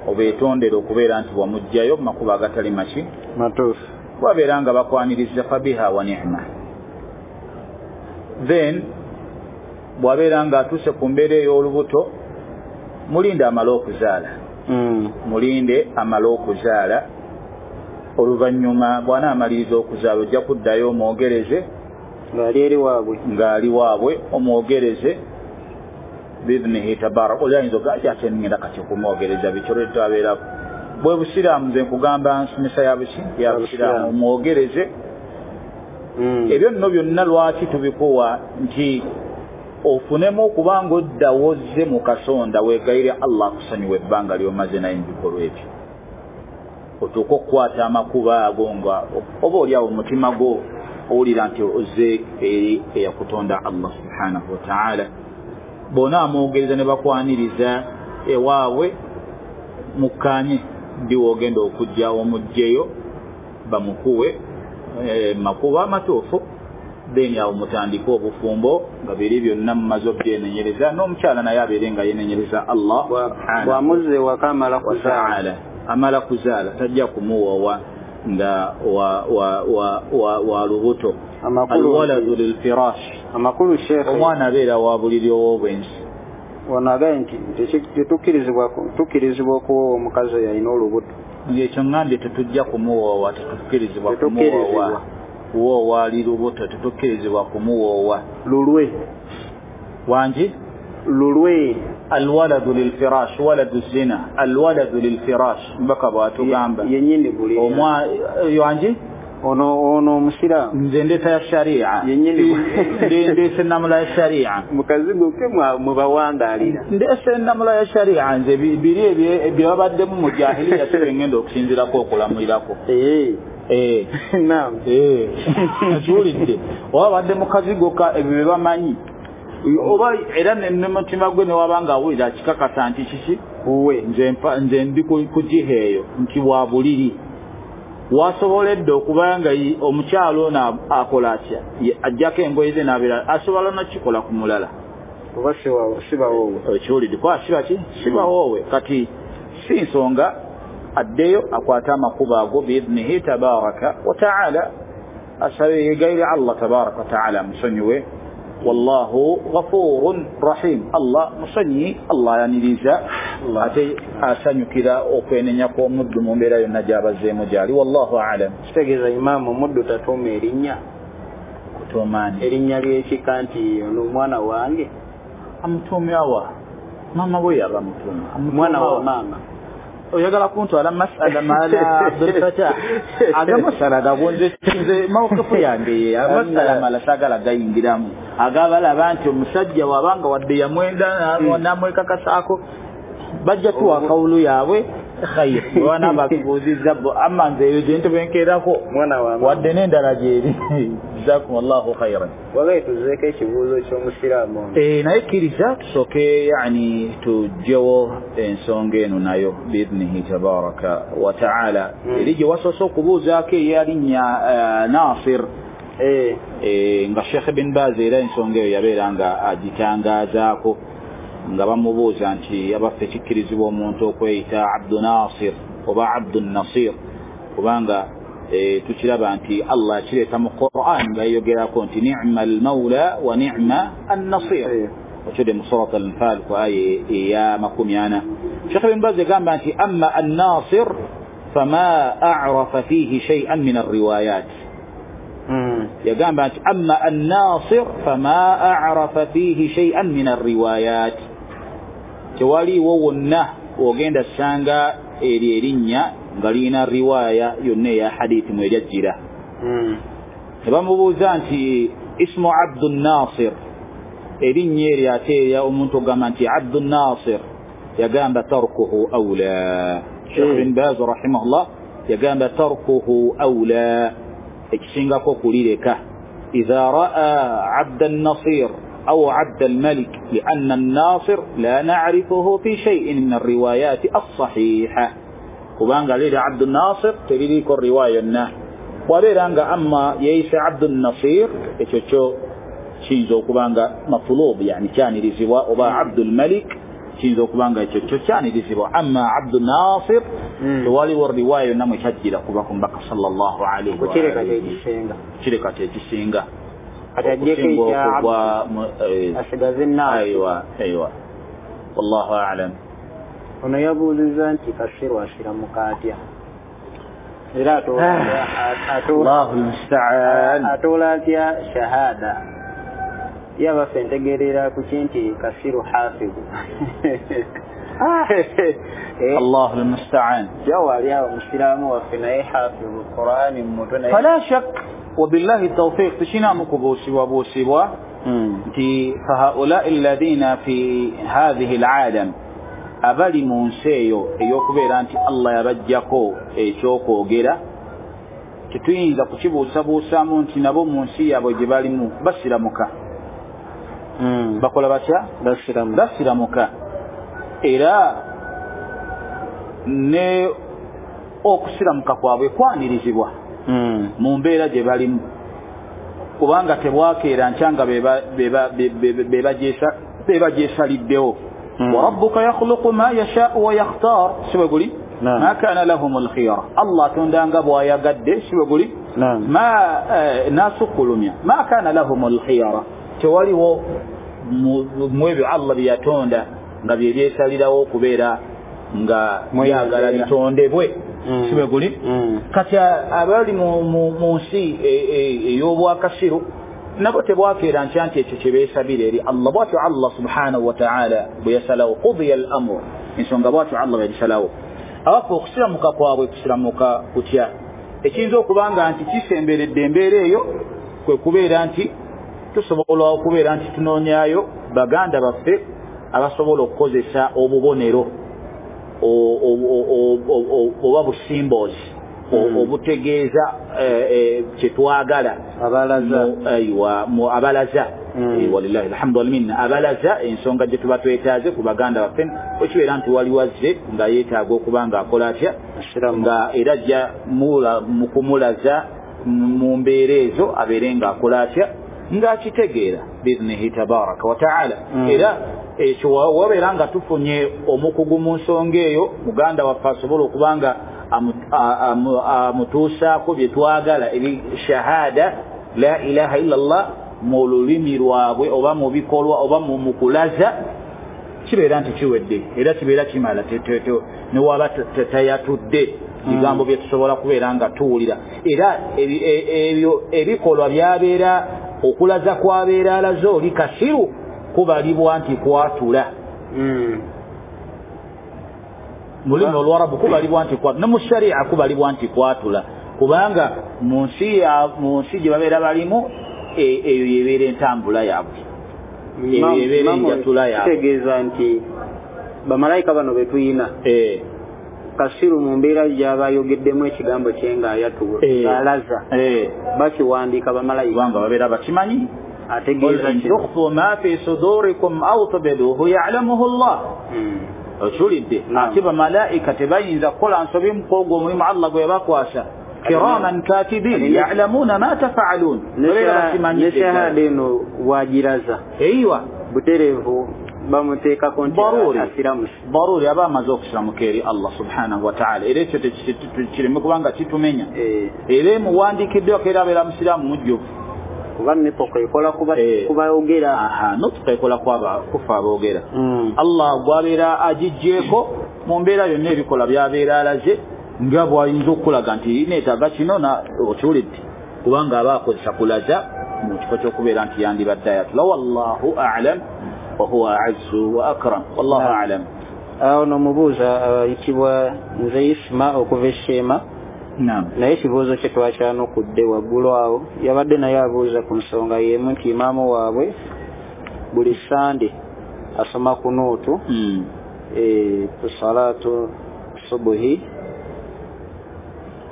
obeetondera okubeera nti wamuggyayo mu makubo agatali maki, matuufu, wabeera nga bakwaniriza fabiha wa ni'ma. Then bw'abeera nga atuuse ku mbeera ey'olubuto, mulinde amale okuzaala, mulinde amale okuzaala. Oluvannyuma bw'anaamaliriza okuzaala ojja kuddayo omwogereze ng'ali eri waabwe, ng'ali waabwe omwogereze biidhnihi tabaraka. Oli ayinza okugamba ate ngenda kati okumwogereza biki, olwetto abeera bwe busiraamu. Nze nkugamba nsomesa ya buki, ya busiraamu, omwogereze. Ebyo nno byonna lwaki tubikuwa nti ofunemu okubanga odda wozze mu kasonda weegayire Allah akusonyiwe ebbanga ly'omaze naye mu bikolwa ebyo, otuuke okukwata amakubo ago nga oba oliawo omutima gwo owulira nti ozze eri eyakutonda Allah subhanahu wa taala. Bw'onaamwogereza ne bakwaniriza ewaabwe, mukkaanye ddi w'ogenda okujja omuggyeyo bamukuwe makubo amatuufu, then awo mutandike obufumbo nga biri byonna mumaze obyenenyereza, n'omukyala naye abeere nga yenenyereza Allah bw'amuzza ewaka amala kuzaala, amala kuzaala, tajja kumuwoowa nga wa lubuto. Alwaladu lilfirash, amakulu sheekhe, omwana abeera wa buliri ow'obwenzi. Wano agambye nti tukkirizibwa okuwoowa omukazi oyo alina olubuto. Ekyo ŋŋambye tetujja kumuwoowa, tetukkirizibwa kumuwoowa. Kuwoowa ali lubuto tetukkirizibwa kumuwoowa. Lulwe wangi, lulwe. Alwaladu lilfirash, waladu zina, alwaladu lilfirash, mbaka bw'atugamba yennyini buliri wangi. Ono omusiraamu nze ndeeta ya sharia, ndeese ennamula ya sharia, mukazigo ke mubawangaalira, ndeese ennamula ya sharia. Nze biri bye babaddemu mu jahiliya si bye ngenda okusinziirako okulamulirako. Naam, kiwulidde oba badde mu kazigo ka ebyo bye bamanyi, oba era ne mutima gwe ne waba nga awulira akikakasa nti kiki uwe nze ndi ku jiha eyo nti wa buliri, wasoboledde okuba nga omukyalo ono akola atya, ajjako engoye ze n'abeera asobola n'okikola ku mulala oba sibawoowe. Ekiwulidde kuba siba ki, sibawoowe. Kati si nsonga addeyo akwate amakubo ago biidhnihi tabaraka wa taala, asabe yeegayire Allah tabaraka wa taala amusonyiwe. Wallahu ghafurun rahim, Allah musonyi, Allah ayaniriza ate asanyukira okwenenya kw'omuddu mu mbeera yonna gy'abazzeemu gy'ali. Wallahu a'lam. Kitegeeza imaamu omuddu tatuuma erinnya, kutuumaani erinnya ly'ekika nti ono omwana wange, amutuumya wa? Maama we yaba amutuuma mwana wa maama. Oyagala kuntwala masala mala Abdul Fattah aga masala gabonze nze mawukifu yange amasala mala sagala gayingiramu agabalaba nti omusajja wabanga wadde yamwenda namwekakasaako bajja tuwa kawulu yaabwe khayr wana bakubuuzizza bo amma nze eyo gye ntebenkerako wadde n'endala gyeri jazakumullahu khairan. Wagaye tuzeeko ekibuuzo ky'omusiraamu naye kkiriza tusooke yani tugyewo ensonga eno nayo biidnihi tabaraka wa taala. Eri gye wasoose okubuuzaako eyalinnya Nasir nga Sheikh bin Baz era ensonga eyo yabeera nga agitangaazaako nga bamubuuza nti abaffe kikkirizibwa omuntu okweyita Abdu Nasir oba Abdu Nasir, kubanga tukiraba nti Allah akireeta mu Quran nga yeyogerako nti ni'ma al-mawla wa ni'ma an-nasir, okidde mu Surat al-Anfal ku aya eya 40. Sheikh bin Baz yagamba nti amma an-nasir fama a'rafa fihi shay'an min ar-riwayat. Yagamba nti amma an-nasir fama a'rafa fihi shay'an min ar-riwayat, tewaliwo wonna ogenda sanga eri erinnya nga lirina riwaaya yonna eya hadithi mwe lyajjira. Ne bamubuuza nti ismu Abdun Nasir, erinnya eryo ate erya omuntu ogamba nti Abdun Nasir, yagamba tarkuhu awla. Sheikh bin Baz rahimahullah yagamba tarkuhu awla, ekisingako kulireka. Idha raa Abda Nasir أو عبد الملك لأن الناصر لا نعرفه في شيء من الروايات الصحيحة، kubanga liri Abdu Nasir teririko riwaya yonna, wabeera nga amma yeeyise Abdu Nasir ekyo kyo kiyinza okuba nga matulub, yani kyanirizibwa, oba Abdul Malik kiyinza okuba nga ekyo kyo kyanirizibwa. Amma Abdu Nasir tewaliwo riwaya yonna mwe kyajjira kuva ku Mbaka sallallahu alaihi wa sallam, kireka kyekisinga asigaze aiwa aiwa, wallahu a'lam. Ono yabuuliza nti kasiru asiramuka atya, era Allahu musta'an, atoola atya shahada? Yabaffe ntegeerera ku ki nti kasiru hafizu. Allahu musta'an, jawali awo musiraamu waffe naye hafizu Qur'ani mutwe naye fala shak wabillahi tawfiq. Tukinaamu kubuusibwabuusibwa nti fahaulai alladhina fi hadhihi alalam, abali mu nsi eyo ey'okubeera nti Allah yabajjako ekyokwogera, tetuyinza kukibuusabuusaamu nti nabo mu nsi yaabwe gye balimu basiramuka. Bakola batya? Basiramuka. Era ne okusiramuka kwabwe kwanirizibwa mu mbeera gye balimu, kubanga tebwakeera nkya nga bebagyesaliddewo. Wa rabbuka yakhluqu ma yasha'u wa yakhtar, si bwe guli? Ma kana lahum alkhiyara, Allah atondanga bw'ayagadde, si bwe guli? Ma nasukkulumya ma kana lahum alkhiyara, tewaliwo mu ebyo Allah bye yatonda nga bye byesalirawo okubeera nga byagala bitondebwe, si bwe guli? Kati abali mu nsi ey'obwakasiru nabo tebwakeera nkya nti ekyo kye beesabira eri Allah. Bwatyo Allah subhanahu wa ta'ala bwe yasalawo, qudiya al-amru, ensonga bwatyo Allah bwe yagisalawo. Abaffe okusiramuka kwabwe kusiramuka kutya? Ekiyinza okuba nga nti kisemberedde embeera eyo kwe kubeera nti tusobola okubeera nti tunoonyaayo baganda baffe abasobola okukozesa obubonero oba busimbozi obutegeeza kyetwagala abalaza, walillahi alhamdu wal minna, abalaza ensonga gye tuba twetaaze ku baganda baffe. Okibeera nti waliwo azze nga yeetaaga okuba nga akola atya, nga era ajja mu kumulaza mu mbeera ezo abeere nga akola atya, ng'akitegeera biidnihi tabaraka wa taala. Era ekyo wabeera nga tufunye omukugu mu nsonga eyo, muganda waffe asobola okuba nga amutuusaako bye twagala eri shahada la ilaha illa Allah mu lulimi lwabwe oba mu bikolwa oba mu kulaza, kibeera nti kiwedde era kibeera kimala, newaba tayatudde bigambo bye tusobola kubeera nga tuwulira. Era ebyo ebikolwa byabeera okulaza kwabeera alaze oli kasiru kubalibwa nti kwatula. Mu lulimi Olwarabu kubalibwa nti kwatula, ne mu sharia kubalibwa nti kwatula, kubanga mu nsi gye babeera balimu eyo yebeera entambula yaabwe, eyo yebeera enjatula yaabwe. Kitegeeza nti bamalayika bano be tuyina kasiru mu mbeera gy'aba ayogeddemu ekigambo kye ng'ayatula ng'alaza, bakiwandiika bamalayika kubanga babeera bakimanyi. Ategeeza ki? Tukhfu ma fi sudurikum aw tubduhu ya'lamuhu Allah. Okiwulidde? Ate bamalayika tebayinza kukola nsobi mu kwogwo omulimu Allah gwe yabakwasa. Kiraman katibin ya'lamuna ma tafa'alun. Ne shahada eno wagiraza eiwa butereevu bamuteekako nti asiramusi baruri aba amaze okusiramuka eri Allah subhanahu wa ta'ala. Era ekyo kireme kubanga kitumenya, era emuwandiikiddwako era abeera musiraamu mujjuvu, kuba nutqa ekola kubayogera. Nutqa ekola kufa aboogera. Allah gwabeera agiggyeko mu mbeera yonna ebikola byabeera alaze nga bw'ayinza okukulaga nti neetaaga kino okiwulidde, kubanga aba akozesa kulaza mu kifo ky'okubeera nti yandibadde ayatula. Wallahu a'lam wa huwa a'azzu wa akram. Wallahu a'lam. Awo nomubuuza ayitibwa nze Isma okuva e Sheema. Naye ekibuuzo kye twakyanukudde waggulu awo, yabadde naye abuuza ku nsonga y'emu nti imaamu waabwe buli Sande asoma kunuutu ku salaatu subuhi.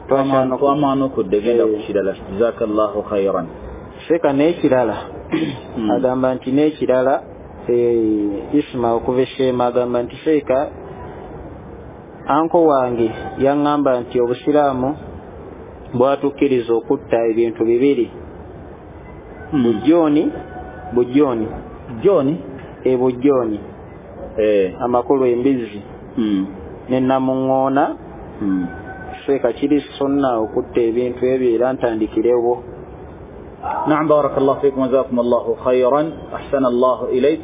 Twamwanukudde, genda ku kirala. Jazakallahu khairan. Seeka n'ekirala agamba nti n'ekirala Isma okuva e Sheema agamba nti seeka anko wange yaŋŋamba nti obusiraamu bwatukkiriza okutta ebintu bibiri, bujjooni ebujjooni amakulu embizzi ne namuŋŋoona. Seeka kiri sunna okutta ebintu ebyo era ntandikirewo. Naam, barakallahu fikum, jazakum Allahu khairan, ahsana Allahu ilaik.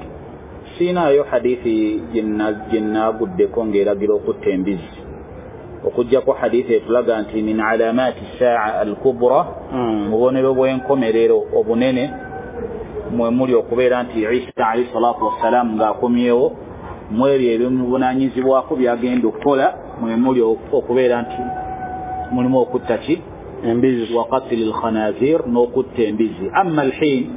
Siinaayo hadithi gye naaguddeko ng'eragira okutta embizzi, okuggyako hadithi etulaga nti min alamaati saa al kubra, mubonero bw'enkomerero obunene mwe muli okubeera nti Isa alayhi salatu wassalam ng'akomyewo, mu ebyo ebimuvunaanyizibwako byagenda okukola mwe muli okubeera nti mulimu okutta ki embizzi, wa qatli lkhanazir, n'okutta embizzi. Amma alhin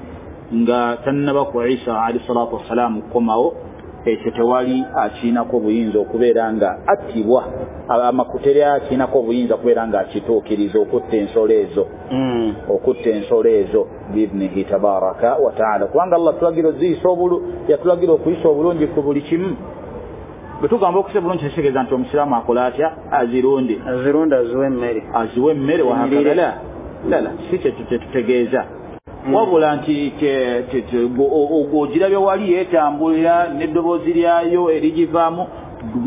nga tannaba ku Isa alayhi salatu wassalam kukomawo, ekyo tewali akiinako obuyinza okubeera nga attibwa, amakuteri akiinako obuyinza okubeera nga akituukiriza okutta ensolo ezo, okutta ensolo ezo biidnihi tabaraka wa taala, kubanga Allah yatulagira okuyisa obulungi ku buli kimu. Bwe tugamba okuyisa obulungi tekitegeeza nti omusiraamu akola atya, azirunde aziwe emmere wahakadha, la si kyekyo kyetutegeeza, wabula nti ogirabye wali yeetambulira n'eddoboozi lyayo erigivaamu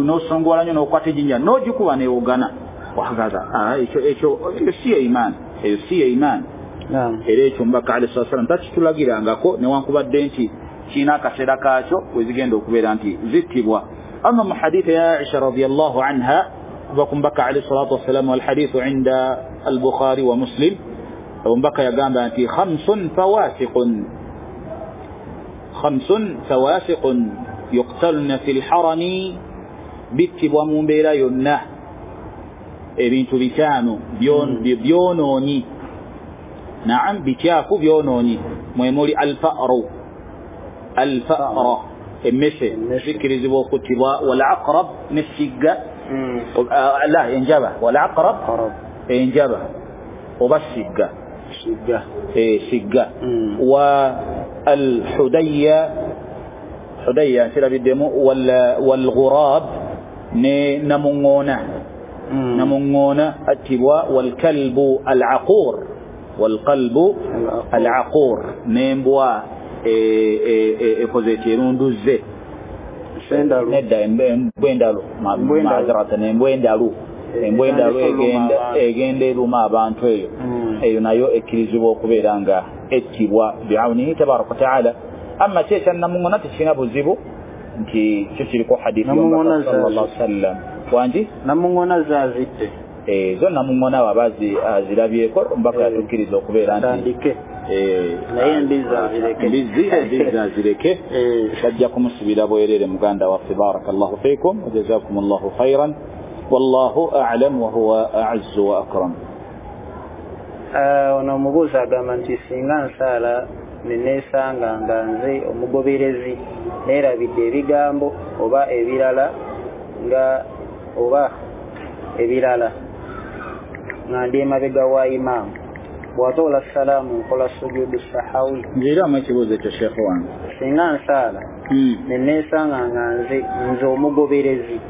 n'osongola nnyo n'okwata ejjinja n'ogikuba neewogana wahakadha. Ekyo si ye imaani, eyo si ye imaani. Era ekyo Omubaka alayhi salatu wassalam takitulagirangako, newankubadde nti kirina akaseera kaakyo we zigenda okubeera nti zittibwa. Amma mu hadithi ya Aisha radiyallahu anha kuva ku Mubaka alayhi salatu wassalam, walhadithu inda al-Bukhari wa Muslim, Omubaka yagamba nti khamsun fawasiqun yuqtalna fi lharami, bittibwa mu mbeera yonna ebintu bitaano byonoonyi. Naam, bikyafu byonoonyi, mwe muli alfa'ru emmese zikkirizibwa okuttibwa, walaqrab nessigga la enjaba, walaqrab enjaba oba sigga sigga, wa alhudayya hudayya nkirabiddemu, walghurab ne namuŋŋoona, namuŋŋoona attibwa, walkalbu alaqur, walqalbu alaqur n'embwa ekoze ekirunduzze nedda embwa endalu, maaziratan embwa endalu, embwa endalu egenda eruma abantu, eyo eyo nayo ekkirizibwa okubeera nga ettibwa biawunihi tabaraka wataala. Amma ki ekya namuŋŋoona tekirina buzibu nti kyo kiriko hadithi y'Omubaka sallallahu alaihi wasallam. Wangi namuŋŋoona zaazitte zo namuŋŋoona waba azirabyeko Omubaka yatukkiriza okubeera nti naye embizzi azireke, embizzi azireke, bajja kumusibira bwerere muganda waffe. Barakallahu fikum wa jazakumullahu khairan. Wallahu a'lam wa huwa a'azzu wa akram. Ono omubuuzi agamba nti singa nsaala neneesanga nga nze omugoberezi neerabidde ebigambo oba ebirala nga oba ebirala nga ndi emabega wa imaamu, bw'atoola salaamu nkola sujudu sahawi. Nziramu ekibuuzo ekyo sheekh wange. Singa nsaala neneesanga nga nze omugoberezi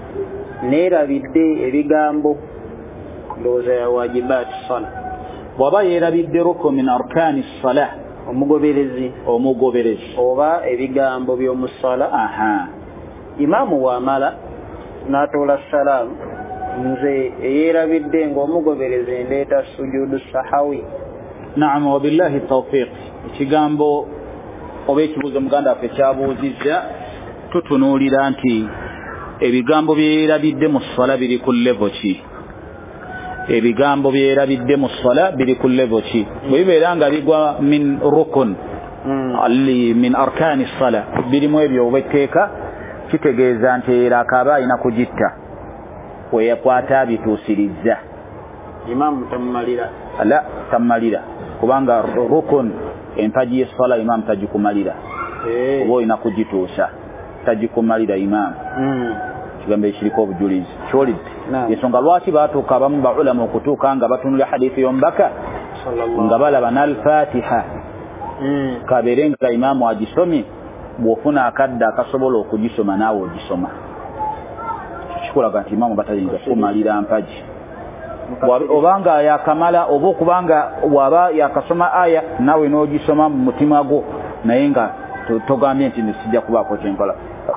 neerabidde ebigambo, ndowooza ya wajibaati sala, bw'aba yeerabidde rukun min arkaani salah, omugoberezi oba ebigambo by'omusala, imaamu wamala n'atoola salaamu, nze eyeerabidde ng'omugoberezi ndeeta sujudu sahawi. Naam, wabillahi tawfiq. Ekigambo oba ekibuuzo muganda waffe kyabuuzizza, tutunuulira nti ebigambo byerabidde mu ssala biri ku level ki? Ebigambo byerabidde mu ssala biri ku level ki? Bwe bibeera nga bigwa min rukun min arkaani ssala, birimu ebyo obwetteeka, kitegeeza nti era akaba alina kugitta weyakwata bituusirizza. Imaamu tamumalira? La, tamumalira, kubanga rukun empagi y'essala imaamu tagikumalira, oba olina kugituusa, tagikumalira imaamu. Kigambo ekiriko obujulizi kyolidde. Ensonga lwaki baatuuka abamu baulama okutuuka nga batunula hadithi y'omubaka nga balaba n'alfatiha, kabeere nga imaamu agisomye, bw'ofuna akadde akasobola okugisoma naawe ogisoma. Kikulaga nti imaamu batayinza kumalira mpagi, obanga yakamala oba okubanga bw'aba yakasoma aya naawe n'ogisoma mu mutima gwo, naye nga togambye nti sijja kubaako kyenkola.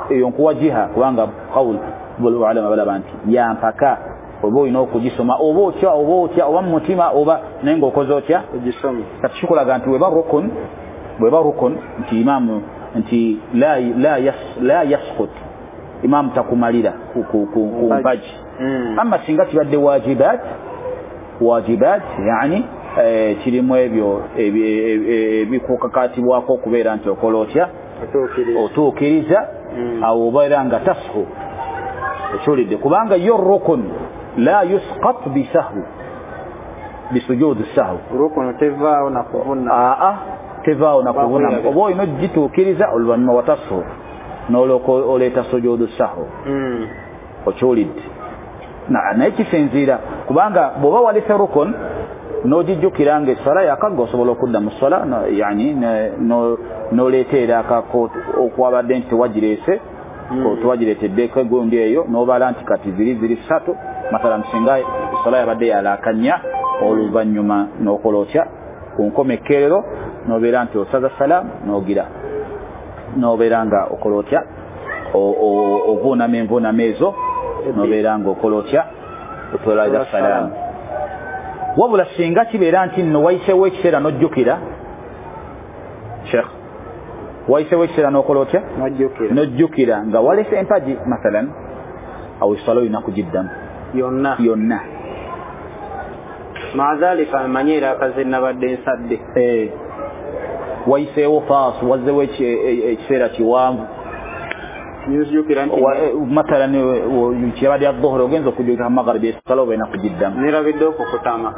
Eyo nkuwa jiha, kubanga qawul ulama balaba nti yampaka, oba olina okugisoma oba otya oba otya oba mu mutima oba naye ng'okoze otya ogisome. Kati kikulaga nti bweba rukun nti imaamu nti la yasqut, imaamu takumalira ku mpagi. Amma singa kibadde wajibat yani kirimu ebyo ebikukakatibwako okubeera nti okola otya otuukiriza, awo obeera nga tashu ekyulidde, kubanga yo rukun la yusqat bisahwi bisujudi sahwi, rukun tevaawo na kuvuna, tevaawo na kuvuna, oba olina ogituukiriza oluvannyuma watashu n'olyoka oleeta sujudu sahwi okyulidde. Naye kisinziira kubanga bw'oba walese rukun n'ogijjukira nga essala yakagga, osobola okudda mu ssala yani n'oleeta era akako okwabadde nti tewagireese, tewagireeteddeko egundi eyo, n'obala nti kati ziri ssatu mathalan, singa essala yabadde yalaaka nnya, oluvannyuma n'okola otya ku nkomekkerero n'obeera nti osaza salaamu n'ogira n'obeera nga okola otya ovuunama envuunama ezo n'obeera nga okola otya otolaza salaamu. Wabula singa kibeera nti nno wayiseewo ekiseera n'ojjukira, sheekh, wayiseewo ekiseera n'okola otya n'ojjukira nga walese empagi mathalan, awo essala olina kugiddamu yonna. Maadhalika amanye era akaze nabadde nsadde, wayiseewo faasu, wazzewo ekiseera kiwanvu, mathalan kyabadde ya dhuhuri ogenza okujjukira magharibi, essala oba olina kugiddamu. Nerabidde okukutama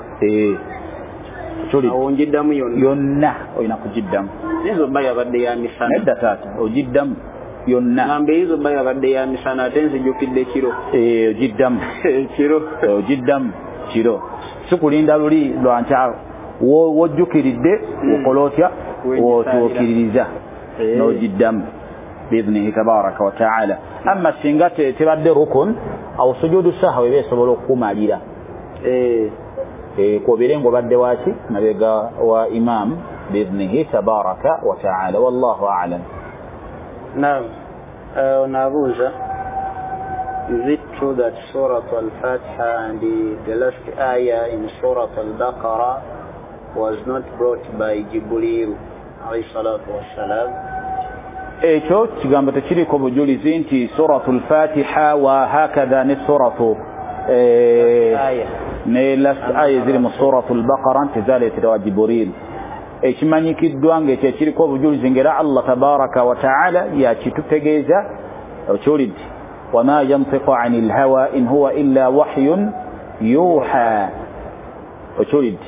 awo ngiddamu yonna olina kugiddamu. Ezo bba yabadde ya misana. Nedda taata, ogiddamu yonna. Ngamba ezo bba yabadde ya misana ate nzijjukidde kiro. Ogiddamu kiro, ogiddamu kiro, si kulinda luli lwankya wojjukiridde okola otya otuukiririza n'ogiddamu biidhnihi tabaraka wa taala. Amma singa tebadde rukun, awo sujudu sahwi eba esobola okukumalira kwobeere ng'obadde waki mabega wa imaamu biidhnihi tabaraka wa taala. Wallahu a'lam. Naam, onaabuuza, is it true that Surah Al-Fatiha and the last ayah in Surah Al-Baqarah was not brought by Jibril alayhi salatu wassalam? Ekyo kigambo tekiriko bujulizi nti Suratul Fatiha wa hakadha ne suratu ne last aya ziri mu Suratul Baqara nti zaleeterwa Jibril. Ekimanyikiddwa ng'ekyo ekiriko obujulizi ng'era Allah tabaraka wa taala yakitutegeeza, okiwulidde, Wama yantiqu anil hawa in huwa illa wahyun yuha. Okiwulidde?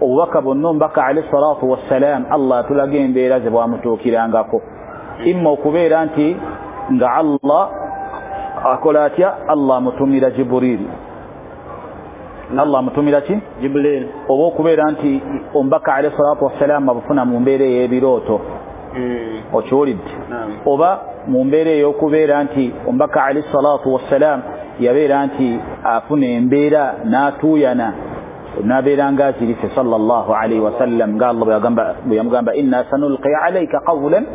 Obubaka bwonna omubaka alayhi salatu wassalam Allah atulaga embeera ze bwamutuukirangako. Imma okubeera nti nga Allah akola atya, Allah amutumira Jibril. Allah amutumira ki? Jibril. Oba okubeera nti omubaka alayhi salatu wassalam abufuna mu mbeera ey'ebirooto. Okiwulidde? Oba mu mbeera ey'okubeera nti omubaka alayhi salatu wassalam yabeera nti afuna embeera n'atuuyana n'abeera nga azirise sallallahu alayhi wasallam, nga Allah bwe yamugamba inna sanulqi alayka qawlan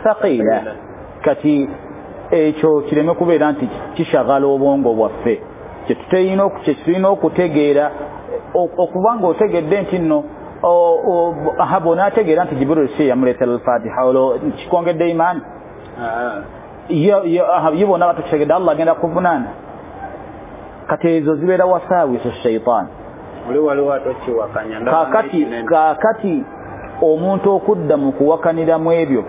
thaqila. Kati ekyo kireme kubeera nti kishagala obwongo bwaffe. Kyetulina okutegeera, okuba nga otegedde nti nno bw'onaategeera nti Jibril si yamuleetera al-Fatiha, olwo kikwongedde imaani. Ye bonna batukitegedde Allah agenda kuvunaana. Kati ezo zibeera wasaawisu shaitaani. Kaakati omuntu okudda mu kuwakaniramu ebyo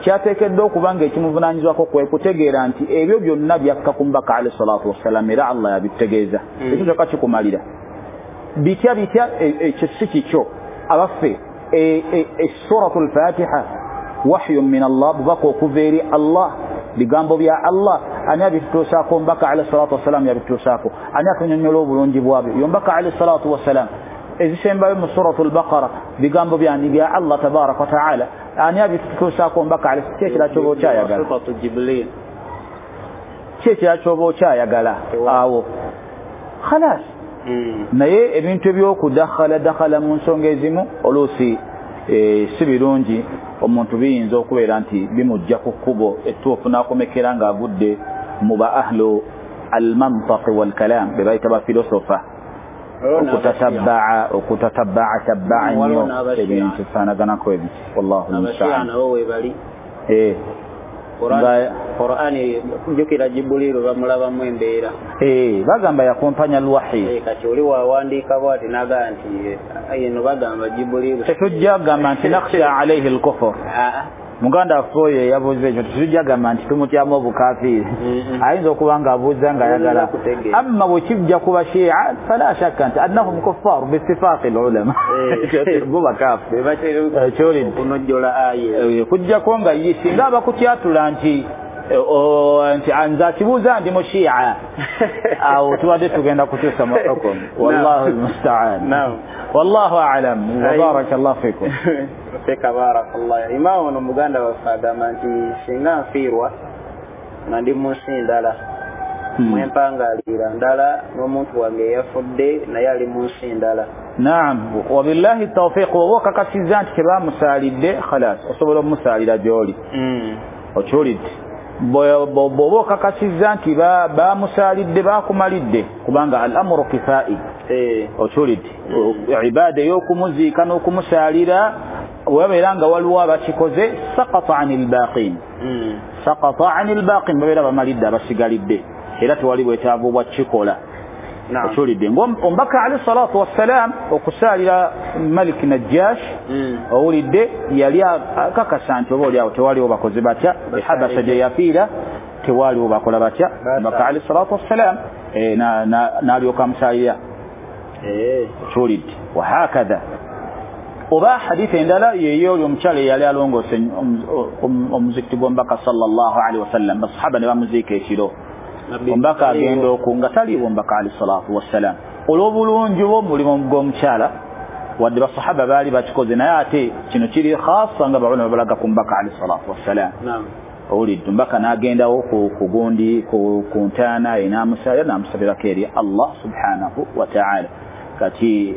kyateekeddwa okuba nga ekimuvunaanyizibwako kwe kutegeera nti ebyo byonna byakka ku mubaka alayhi salatu wassalam, era Allah yabitegeeza. Ekyo kyokka kikumalira. Bitya bitya ekyo si kikyo. Abaffe suratul Fatiha wahyun min Allah, bubaka okuva eri Allah, bigambo bya Allah. Ani abitutuusaako? Omubaka alayhi salatu wassalam yabitutuusaako. Ani atunyonnyola obulungi bwabyo? Ye omubaka alayhi salatu wassalam. Ezisembayo mu suratul Baqara bigambo byani? Bya Allah tabaraka wa taala. Ani abitutuusaako? Omubaka alayhi. Ki ekirala ky'oba okyayagala? Ki ekirala ky'oba okyayagala awo? Khalas. Naye ebintu eby'okudakhala dakhala mu nsonga ezimu oluusi si birungi. Omuntu biyinza okubeera nti bimujja ku kkubo ettuufu n'akomekera ng'agudde mu ba ahlu almantaqi walkalam, be bayita bafilosofa, okutatabaa tabbaa nnyo ebintu bifaanaganako ebiti. Wallahu almustaan. Qur'ani jjukira Jibril bamulabamu embeera. Bagamba yakumpanya alwahi. Kati oli wawandiika bw'ati n'agamba nti eno bagamba Jibril. Tetujja kugamba nti nakhsha alayhi al-kufr. Muganda waffe oyo eyabuuza ekyo tetujja kugamba nti tumutyamu obukafiiri. Ayinza okuba ng'abuuza ng'ayagala. Amma bwe kijja ku Bashia fala shakka nti annahum kuffar biittifaaqi al-ulama. Bo bakafiri. Okunojjola aya. Kujjako nga ye singa abakutyatula nti nze akibuuza ndi Mushia, awo tubadde tugenda kukyusa mu hukumu. Wallahu almustaan. Wallahu a'lam. Wa barakallahu fikum. Fika barakallah. Imaamu ono muganda waffe agamba nti singa nfiirwa nga ndi mu nsi ndala, mwempangalira ndala n'omuntu wange eyafudde naye ali mu nsi ndala. Naam, wabillahi tawfiq. Oba okakasizza nti tebamusaalidde, khalas osobola omumusaalira gy'oli. Okiwulidde? Bw'oba okakasizza nti bamusaalidde bakumalidde, kubanga al-amru kifaa'i. Okiwulidde? Ibaada ey'okumuziika n'okumusaalira webabeera nga waliwo abakikoze, saqata anil baqin. Saqata anil baqin, babeera bamalidde abasigalidde, era tewali bwetaavu bwa kikola. Okiwulidde? Omubaka alayhi salatu wassalam okusaalira Malik Najjash, owulidde, yali akakasa nti oba oliawo tewaliwo bakoze batya. Ehabasha gye yafiira tewaliwo bakola batya. Omubaka alayhi salatu wassalam n'alyoka amusaalira. Okiwulidde? Wahakadha. Oba hadithi endala yeyo oli omukyala eyali alongoose omuzikiti gw'omubaka sallallahu alaihi wasallam, basahaba ne bamuziika ekiro. Omubaka agenda okunga taliiwo omubaka alayhi salatu wassalam. Olw'obulungi bw'omulimu gw'omukyala, wadde basahaba baali bakikoze, naye ate kino kiri khasa nga baulama balaga ku mubaka alayhi salatu wassalam. Owulidde? Omubaka n'agendawo ku gundi ku ntaana ye n'amusaalira n'amusabirako eri Allah subhanahu wa ta'ala. Kati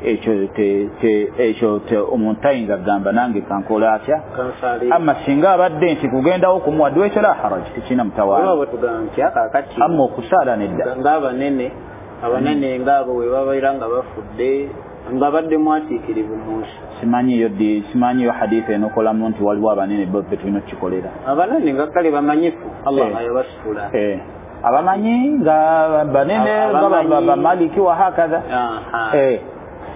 ekyo omuntu tayinza kugamba nange kankola atya. Amma singa abadde nti kugendawo kumuwadde ekyo la haraj, tekirina mutawaana. Amma okusaala nedda. Ng'abanene abanene ng'abo bwe babeera nga bafudde nga badde mwatiikirivu mu nsi. Simanyiyo hadithi enokolamu nti waliwo abanene bo be tulina okukikolera. Abanene nga kale bamanyifu Allah yabasitula. Abamanyi nga banene nga bamaliki wa hakadha.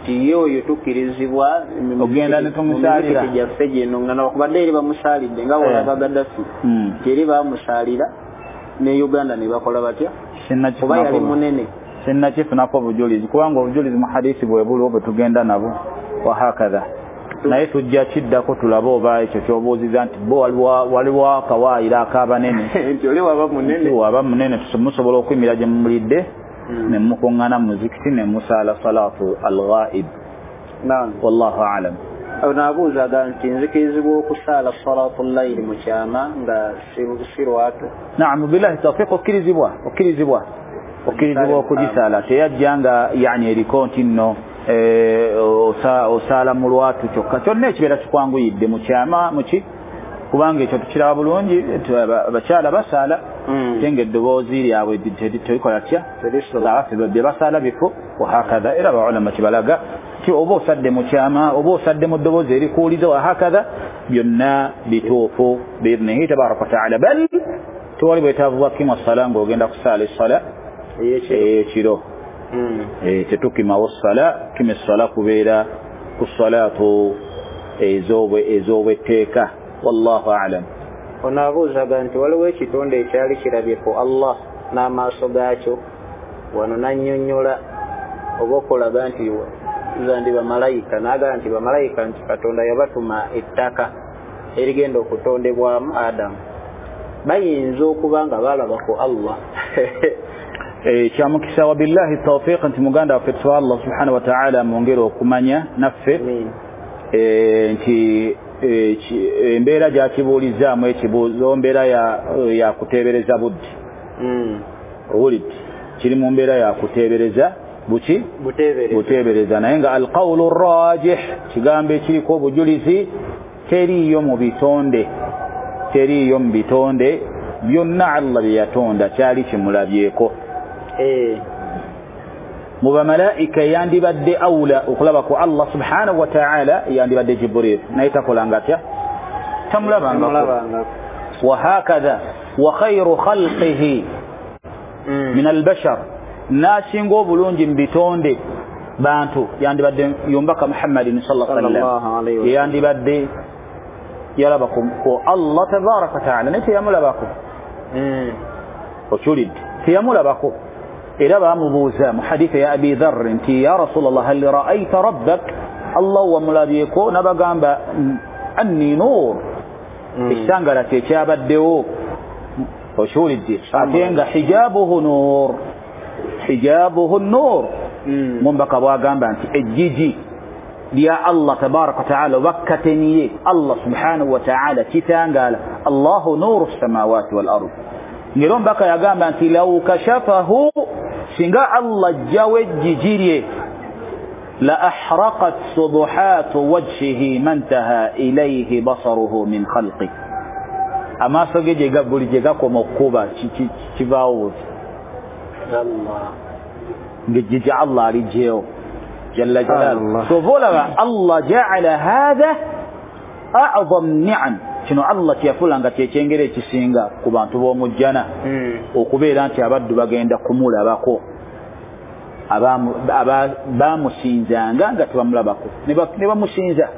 Ti oyo tukkirizibwa ogenda ne tumusaalira gyaffe gino nga nakubadde eri bamusaalidde nga bolaba Gaddafi teri bamusaalira ne Uganda ne bakola batya? Oba yali munene? Sinnakifunako obujulizi, kubanga obujulizi mu hadisi bwe buliwo bwe tugenda nabo wahakadha. Naye tujja kiddako tulabe oba ekyo ky'obuuziza nti bo waliwo akawaayiro ak'abanene nti oli waba munene, waba munene musobola okuyimira gye mumulidde ne mukuŋŋaana mu muzikiti ne musaala salatu al-ghaib. Naam, wallahu a'lam. Ono abuuzaga nti nzikirizibwa okusaala salatu layili mu kyama nga si lwatu? Naam, billahi tawfiq, okkirizibwa okugisaala. Teyajja nga yani eriko nti nno osaala mu lwatu kyokka, kyonna ekibeera kikwanguyidde mu kyama muki, kubanga ekyo tukiraba bulungi abakyala basaala ate nga eddoboozi lyabwe terikola tya, abaffe bye basaala bifo wahakadha. Era abaulama kibalaga nti oba osadde mu kyama oba osadde mu ddoboozi erikuwuliza wahakadha, byonna bituufu biidnihi tabaraka wataala. Bal tewali bwetaavu bwa kima sala ng'ogenda kusaala essala ey'ekiro. Tetukimawo ssala, kima essala kubeera ku salatu ez'obwetteeka. Wallahu a'lam. Ono abuuzaga nti waliwo ekitonde ekyali kirabye ku Allah n'amaaso gaakyo, wano nannyonnyola oba okulaga nti zandi bamalayika, n'agamba nti bamalayika nti Katonda yabatuma ettaka erigenda okutondebwamu Adamu, bayinza okuba nga balaba ku Allah. Kyamukisa wa billahi tawfiq nti muganda waffe tusaba Allah subhanahu wa ta'ala mwongere okumanya naffe nti embeera gyakibuulizaamu ekibuuzo mbeera ya kuteebereza budde. Owulidde, kiri mu mbeera ya kuteebereza buki, buteebereza. Naye nga alqawlu rajih, kigambo ekiriko obujulizi, teriiyo mu bitonde, teriiyo mu bitonde byonna Allah bye yatonda kyali kimulabyeko. Mu bamalaika yandibadde awula okulaba ku Allah subhanahu wa ta'ala yandibadde Jibril, naye takolanga atya, tamulabangako. Wahakadha wa khairu khalqihi min albashar, n'asinga obulungi mu bitonde bantu yandibadde yombaka Muhammadin sallallahu alaihi wasallam, yandibadde yalaba ku Allah tabaraka wa ta'ala, naye teyamulabako. Okiwulidde, teyamulabako. Era bamubuuza mu haditha ya Abi Dharr nti ya Rasulallah hal ra'ayta rabbak, Allah wamulabyeko? N'abagamba anni nur, ekitangala kye kyabaddewo. Okiwulidde, ate nga hijabuhu nur, hijabuhu nur. Mumbaka bwagamba nti ejjiji lya Allah tabaraka wa ta'ala oba kateniye Allah subhanahu wa ta'ala kitangaala, Allahu nuru samawati wal ard. Ngero mbaka yagamba nti law kashafahu, singa Allah ajjawo ejjiji lye, la ahraqat subuhatu wajhihi mantaha ilayhi basaruhu min khalqi, amaaso ge buli gye gakoma okkuba kivaawo ng'ejjiji Allah aligyewo jalla jalaaluhu. So olaba Allah ja'ala hadha a'zam ni'am, kino Allah kyeyafuula nga kyekyengera ekisinga ku bantu b'omujjana, okubeera nti abaddu bagenda kumulabako, bamusinzanga nga tebamulabako, ne bamusinza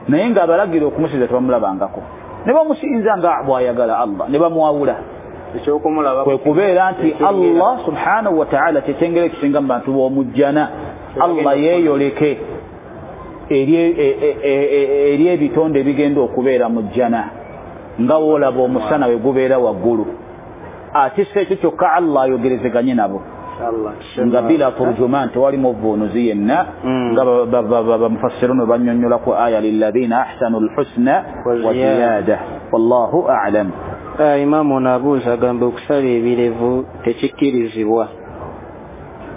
naye nga abalagira okumusinza tebamulabangako, ne bamusinza nga bw'ayagala Allah, ne bamwawula. Kwe kubeera nti Allah subhanahu wa ta'ala kyekyengera ekisinga mu bantu b'omujjana, Allah yeeyoleke eri ebitonde ebigenda okubeera mu jjana, nga woolaba omusana we gubeera waggulu. Ate si ekyo kyokka, Allah ayogerezeganye nabo nga bila turjuman, tewali muvuunuzi yenna, nga bamufassirun bannyonnyolako aya lilladhina ahsanu lhusna wa ziyada. Wallahu a'lam. Imaamu ono abuuza agamba okusala ebirevu tekikkirizibwa,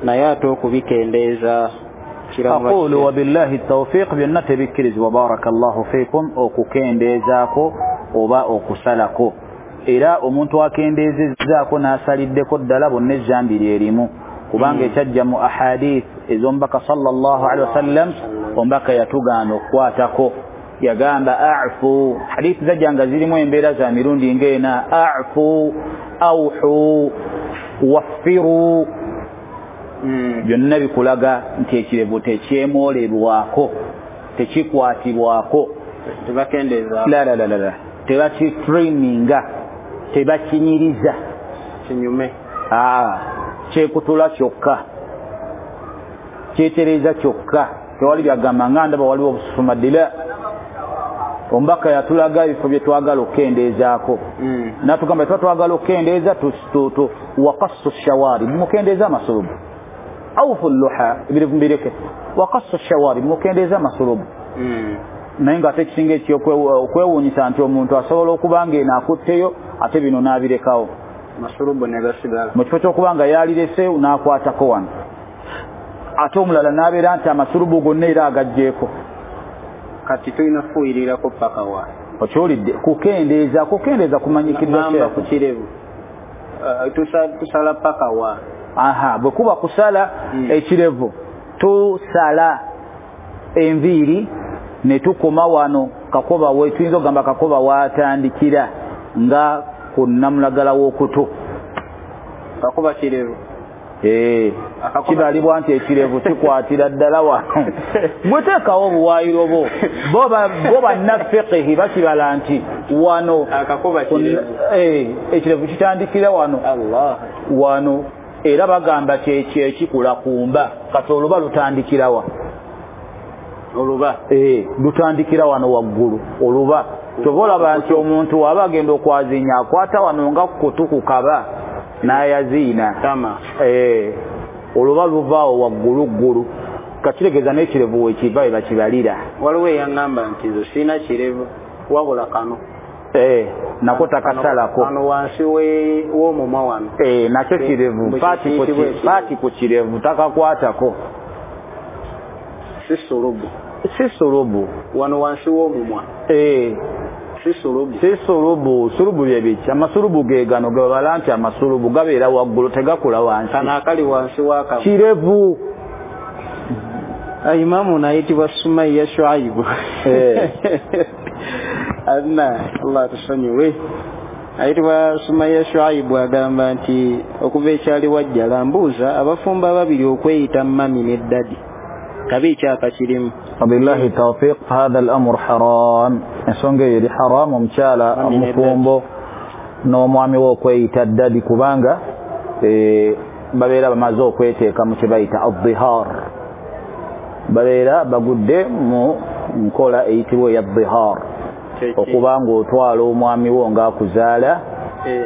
naye ate okubikendeeza. Aqulu wabillahi tawfiq, byonna tebikkirizibwa. Barakallahu fikum, okukendeezaako oba okusalako. Era omuntu akendeezezzaako n'asaliddeko ddala bonna ezzambi lyerimu, kubanga ekyajja mu ahadith ez'omubaka sallallahu alaihi wasallam, omubaka yatugaana okukwatako, yagamba a'fu. Hadithi zajja nga zirimu embeera za mirundi ng'ena, a'fu, awhu, waffiru, byonna bikulaga nti ekirevu tekyemolebwako, tekikwatibwako, la la la la, tebakitriminga, tebakinyiriza. Kinyume. Kyekutula kyokka, kyetereeza kyokka, tewali byagamba nga ndaba waliwo obususumaddira. Omubaka yatulaga ebifo bye twagala okukendeezaako, natugamba tuba twagala okukendeeza waqassu shawarib, mukendeeza amasulubu, awfu luha, ebirevu mbireke, waqassu shawarib, mukendeeza amasulubu. Naye nga ate ekisinga okwewuunyisa nti omuntu asobola okuba nga eno akutteyo ate bino n'abirekawo, masulubu ne gasigala mu kifo ky'okuba nga yalirese n'akwatako wano, ate omulala n'abeera nti amasulubu gonna era agaggyeko. Kati tulina kufuuyirirako paka wa? Okiwulidde? Kukendeeza, kukendeeza kumanyikiddwa ku kirevu. Tusala paka wa? Aha, bwe kuba kusala ekirevu, tusala enviiri ne tukoma wano kakoba we, tuyinza okugamba kakoba waatandikira nga ku nnamulagala w'okutu. Kakoba kirevu. Kibalibwa nti ekirevu kikwatira ddala wano. Bweteekawo obuwaayiro bwo, bo bannafiqihi bakibala nti wano ekirevu kitandikira wano wano, era bagamba kyekyo ekikula kumba. Kati oluba lutandikira wa? Oluba lutandikira wano waggulu oluba. Kyova olaba nti omuntu aba agenda okwazinya akwata wano nga kutu kukaba n'ayaziina. Oluba luvaawo waggulu ggulu, kakitegeeza n'ekirevu wekiva we bakibalira. Waliwo eyaŋŋamba nti nze sirina kirevu wabula kano nako takasalako kano wansi w'omumwa wano, nakyo kirevu, paati ku kirevu takakwatako. Si sulubu, si sulubu, wano wansi w'omumwa. Si sulubu, si sulubu. Sulubu bye biki? Amasulubu ge gano ge babala nti amasulubu gabeera waggulu tegakula wansi. Kano akali wansi w'akamwa kirevu. Imamu nayitibwa Sumaiya Shuaibu. Adna Allah tusonyiwe. Ayitibwa Sumaiya Shuaibu agamba nti okuva ekyali wajjala mbuuza abafumbo ababiri okweyita mami ne ddadi kabi ekyapa kirimu. Wabillahi tawfiq, hadha al-amru haram. Ensonga eyo eri haram, omukyala omufumbo n'omwami we okweyita ddadi, kubanga babeera bamaze okweteeka mu kye bayita adhihar, babeera bagudde mu nkola eyitibwa eya dhihar, okuba ng'otwala omwami wo ng'akuzaala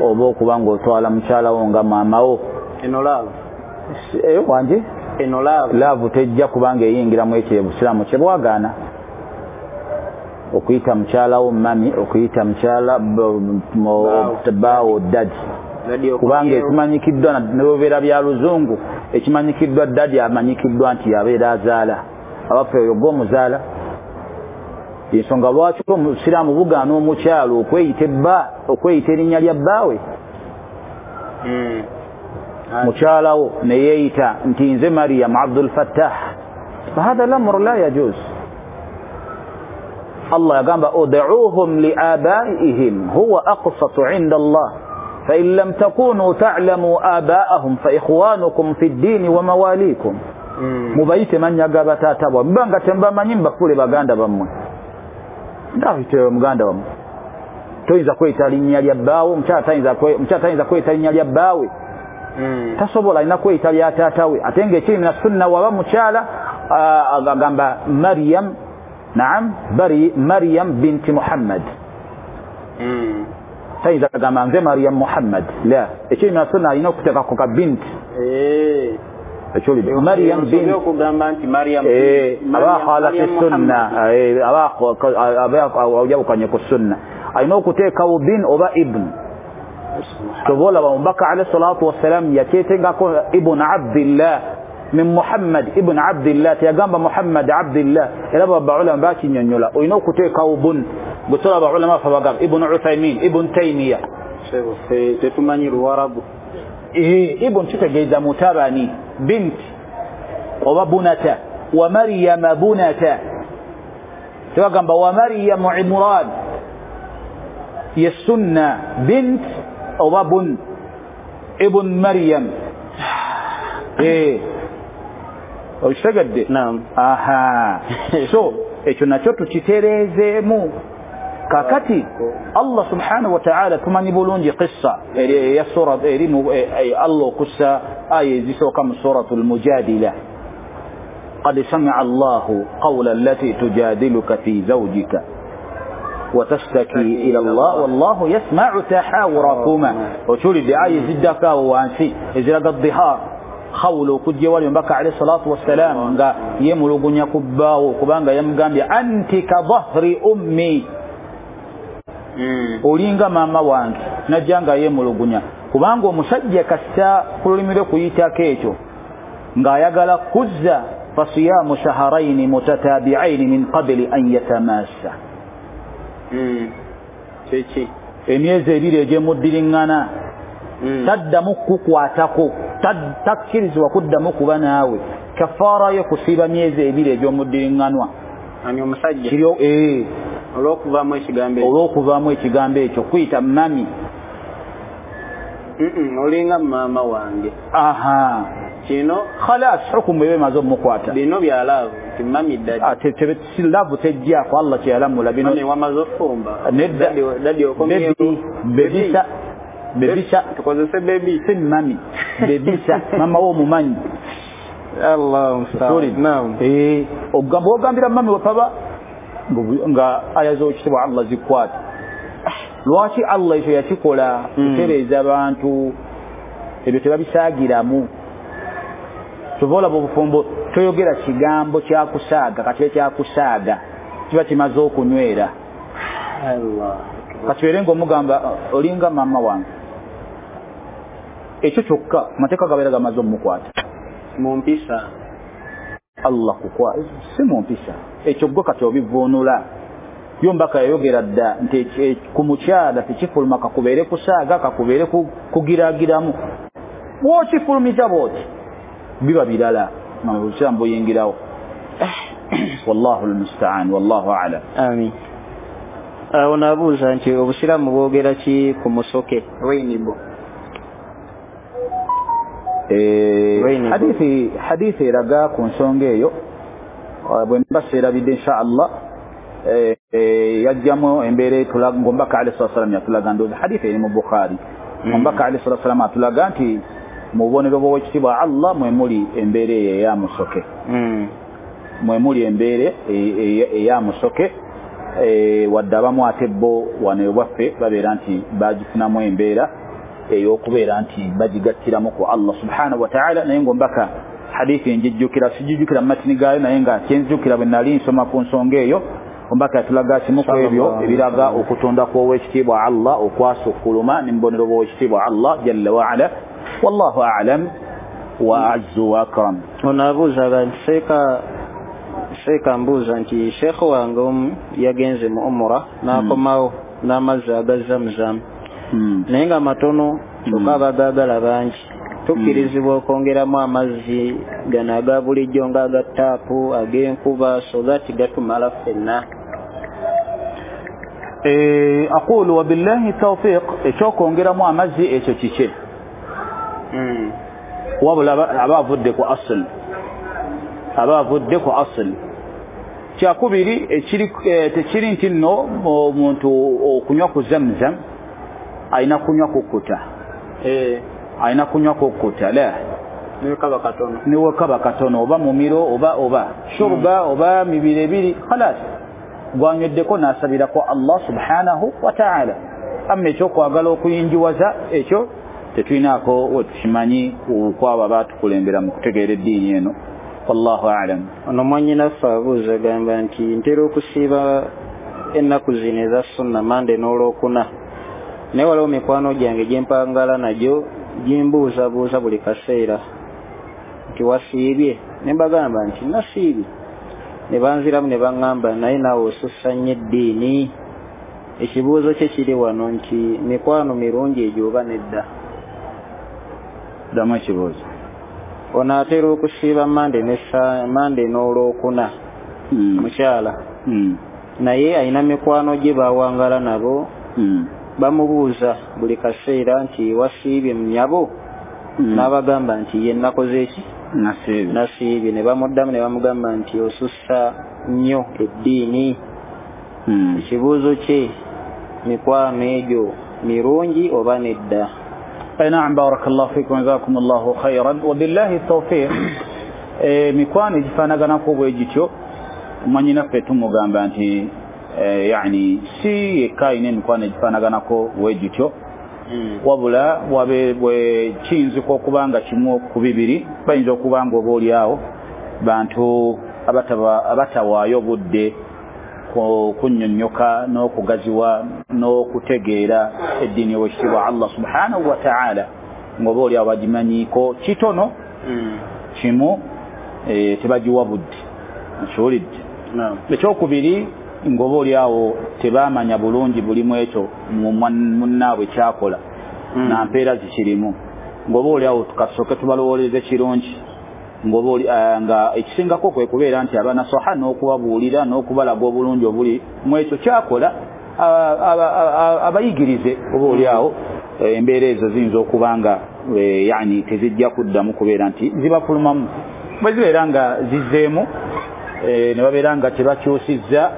oba okuba ng'otwala mukyala wo nga maama wo. Eno laavu wanje eno laavu, laavu tejja kubanga eyingiramu ekyo obusiraamu kye bwagaana, okuyita mukyala wo mami, okuyita mukyala bbaawo ddadi, kubanga ekimanyikiddwa nebubeera bya luzungu, ekimanyikiddwa ddadi amanyikiddwa nti yabeera azaala, abaffe oyo gw'omuzaala. Ensonga lwaki omusiraamu bugaana omukyala okweyita ebba, okweyita erinnya lya bbaawe? Mukyalawo ne yeeyita nti nze Mariam Abdul Fattah, fahadha lamru la yajuz. Allah yagamba ud'uuhum li abaihim huwa aqsatu inda Allah fa in lam takunu ta'lamu abaahum fa ikhwanukum fi ddini wa mawalikum. Mubayite mannya ga bataata bwammwe, mubanga tembamanyi mubafuule baganda bammwe. Ndawite muganda wammwe, toyinza kweyita linnya lya bbaawe, omukyala tayinza kweyita linnya lya bbaawe, tasobola, alina kweyita lya taata we. Ate ng'ekiri mina sunna waba mukyala agamba Mariam, naam, bari Mariam binti Muhammad, tayinza kugamba nze Mariam Muhammad, la, ekiri mina sunna alina okuteekako ka binti. Mariam binti okugamba nti Mariam aba khalati sunna, aba awjabukanye ku sunna, alina okuteekawo bin oba ibn. Kyova olaba omubaka alayhi salatu wassalam yakyetegako ibn Abdillah min Muhammad ibn Abdillah, teyagamba Muhammad Abdillah. Era baulama bakinyonnyola olina okuteekawo bun, gwe tolaba ulama ffe bagamba Ibn Uthaymin, Ibn Taymiya, tetumanyi Luwarabu. Ibn kitegeeza mutabani, binti oba bunata, wa Maryama bunata, tebagamba wa Maryamu Imran, ye sunna bint oba bun, ibn Maryam. Okitegedde? Naam. Aha. So ekyo nakyo tukitereezeemu. Kakati Allah subhanahu wa ta'ala tumanyi bulungi qissa eya sura eri Allah okussa aya ezisooka mu suratul mujadila, qad sami'a Allahu qawla allati tujadiluka fi zawjika وتشتكي إلى الله والله يسمع تحاوركما. وشولي aya eziddako awo wansi eziraga dhihar khawla okujja wali omubaka alayhi salatu wassalam nga yemulugunya ku bbaawo kubanga yamugambye anti ka dhahri ummi, olinga maama wange, najja nga yemulugunya kubanga omusajja kasita ku lulimi lwe kuyitako ekyo ng'ayagala kuzza fasiyamu shaharaini mutatabi'aini min qabli an yatamassa. Kiki emyezi ebiri egy'emuddiriŋŋana taddamu kukwatako, takkirizibwa kuddamu kuba naawe. Kafaara yo kusiiba myezi ebiri egy'omuddiriŋŋanwa. Ani omusajja kiri olw'okuvaamu ekigambo ekyo, olw'okuvaamu ekigambo ekyo kuyita mami, olinga maama wange. Aha, kino khalas hukumu ebe emaze omukwata. Bino bya laavu nti mami dadi si laavu tejjaako Allah kyeyalamula bino. Mami wamaze ofumba nedda, dadi okomyewo bebisa bebisa tukozese bebi si mami bebisa mama wo omumanyi. Allah musta'an. Naam. Ogamba ogambira mami wepaba nga aya z'ekitiibwa Allah zikwata. Lwaki Allah ekyo yakikola? Kutereeza abantu ebyo tebabisaagiramu. Kyova olaba obufumbo toyogera kigambo kyakusaaga, kakibe kyakusaaga kiba kimaze okunywera. Kakibeere ng'omugamba olinga maama wange, ekyo kyokka amateeka gabeera gamaze omukwata mu mpisa. Allah kukwa si mu mpisa ekyo gwe kati obivuunula. Yo mbaka yayogera dda nti ku mukyala tekifuluma kakubeere kusaaga, kakubeere kugiragiramu, bw'okifulumiza bw'oti biba birala obusiraamu buyingirawo. Wallahu almusta'an wallahu a'lam. Amin. Awo naabuuza nti obusiraamu bwogera ki ku musoke rainbow? Hadithi eraga ku nsonga eyo bwe mba seerabidde insha Allah yajjamu embeera etulaga ng'omubaka alayhi salatu wassalam yatulaga, ndowooza hadithi eri mu Bukhari, omubaka alayhi salatu wassalam atulaga nti mu bubonero bw'owekitiibwa Allah mwe muli embeera eyo eya musoke, mwe muli embeera eya musoke. Wadde abamu ate bo wano ewaffe babeera nti bagifunamu embeera ey'okubeera nti bagigattiramu ku Allah subhanahu wa ta'ala. Naye ng'omubaka hadithi njijjukira, sijijjukira mu matini gaayo, naye nga kyenzijjukira bwe nali nsoma ku nsonga eyo, omubaka yatulaga kimu ku ebyo ebiraga okutonda kw'owekitiibwa Allah okwasukkuluma ne mu bubonero bw'owekitiibwa Allah jalla wa ala. Wallahu a'lam wa a'azzu wa akram. Ono abuuza nti seeka mbuuza nti sheekh wange omu yagenze mu umura n'akomawo n'amazzi aga Zamzam naye nga matono kyokka abagaagala bangi. Tukkirizibwa okwongeramu amazzi gano aga bulijjo nga aga taapu, ag'enkuba, so that gatumala ffenna? Aqulu wabillahi tawfiq, ekyokwongeramu amazzi ekyo kike? Wabula aba avudde ku asl, aba avudde ku asl. Kyakubiri tekiri nti nno omuntu okunywa ku Zamzam alina kunywa kukkuta, alina kunywa kukkuta la niwekaba katono oba mumiro oba shurba oba mibiri ebiri khalas gwanyweddeko n'asabirako Allah subhanahu wa ta'ala. Amma ekyokwagala okuyinjiwaza ekyo tetulinaako wetukimanyi kwabo abaatukulembera mu kutegeera eddiini eno. Wallahu a'lam. Ono mwannyinaffe abuuza agamba nti ntera okusiiba ennaku zino eza sunna Mande n'Olwokuna, naye waliwo mikwano gyange gyempangala nagyo gimbuuzabuuza buli kaseera nti wasiibye, ne mbagamba nti nasiibye, ne banziramu ne baŋŋamba naye naawe osussa nnyo eddiini. Ekibuuzo kye kiri wano nti mikwano mirungi egyo oba nedda? Ddamu ekibuuzo. Ono atera okusiiba Mande n'Olwokuna, mukyala, naye alina mikwano gye bawangala nabo, bamubuuza buli kaseera nti wasiibye nnyabo, n'abagamba nti ye nnakoze eki? Nasiibye. Ne bamuddamu ne bamugamba nti osussa nnyo eddiini. Ekibuuzo kye, mikwano egyo mirungi oba nedda? Naam, barakallahu fikum, jazakumullahu khairan wa billahi tawfiq. Mikwano egifaanaganako bwe gityo, mwanyinaffe tumugamba nti yani si yekka ayina emikwano egifaanaganako bwe gityo, wabula wabe bwe kiyinzika okuba nga kimu ku bibiri, bayinza okuba nga oba oli awo bantu abatawaayo budde kunnyonnyoka n'okugaziwa n'okutegeera eddiini y'owekitiibwa Allah subhanahu wa ta'ala, ng'oba oli awo bagimanyiiko kitono kimu, tebagiwa budde. Nkiwulidde. Ekyokubiri, ng'oba oli awo tebamanya bulungi bulimu ekyo munnaabwe kyakola na mpeera zikirimu, ng'oba oli awo tukasooke tubalowooleze kirungi, ng'oba oli nga ekisingako kwe kubeera nti abanasoha n'okubabuulira n'okubalaga obulungi obuli mu ekyo kyakola, abayigirize. Oba oli awo embeera ezo ziyinza okuba nga yani tezijja kuddamu kubeera nti zibafulumamu. Bwe zibeera nga zizzeemu ne babeera nga tebakyusizza,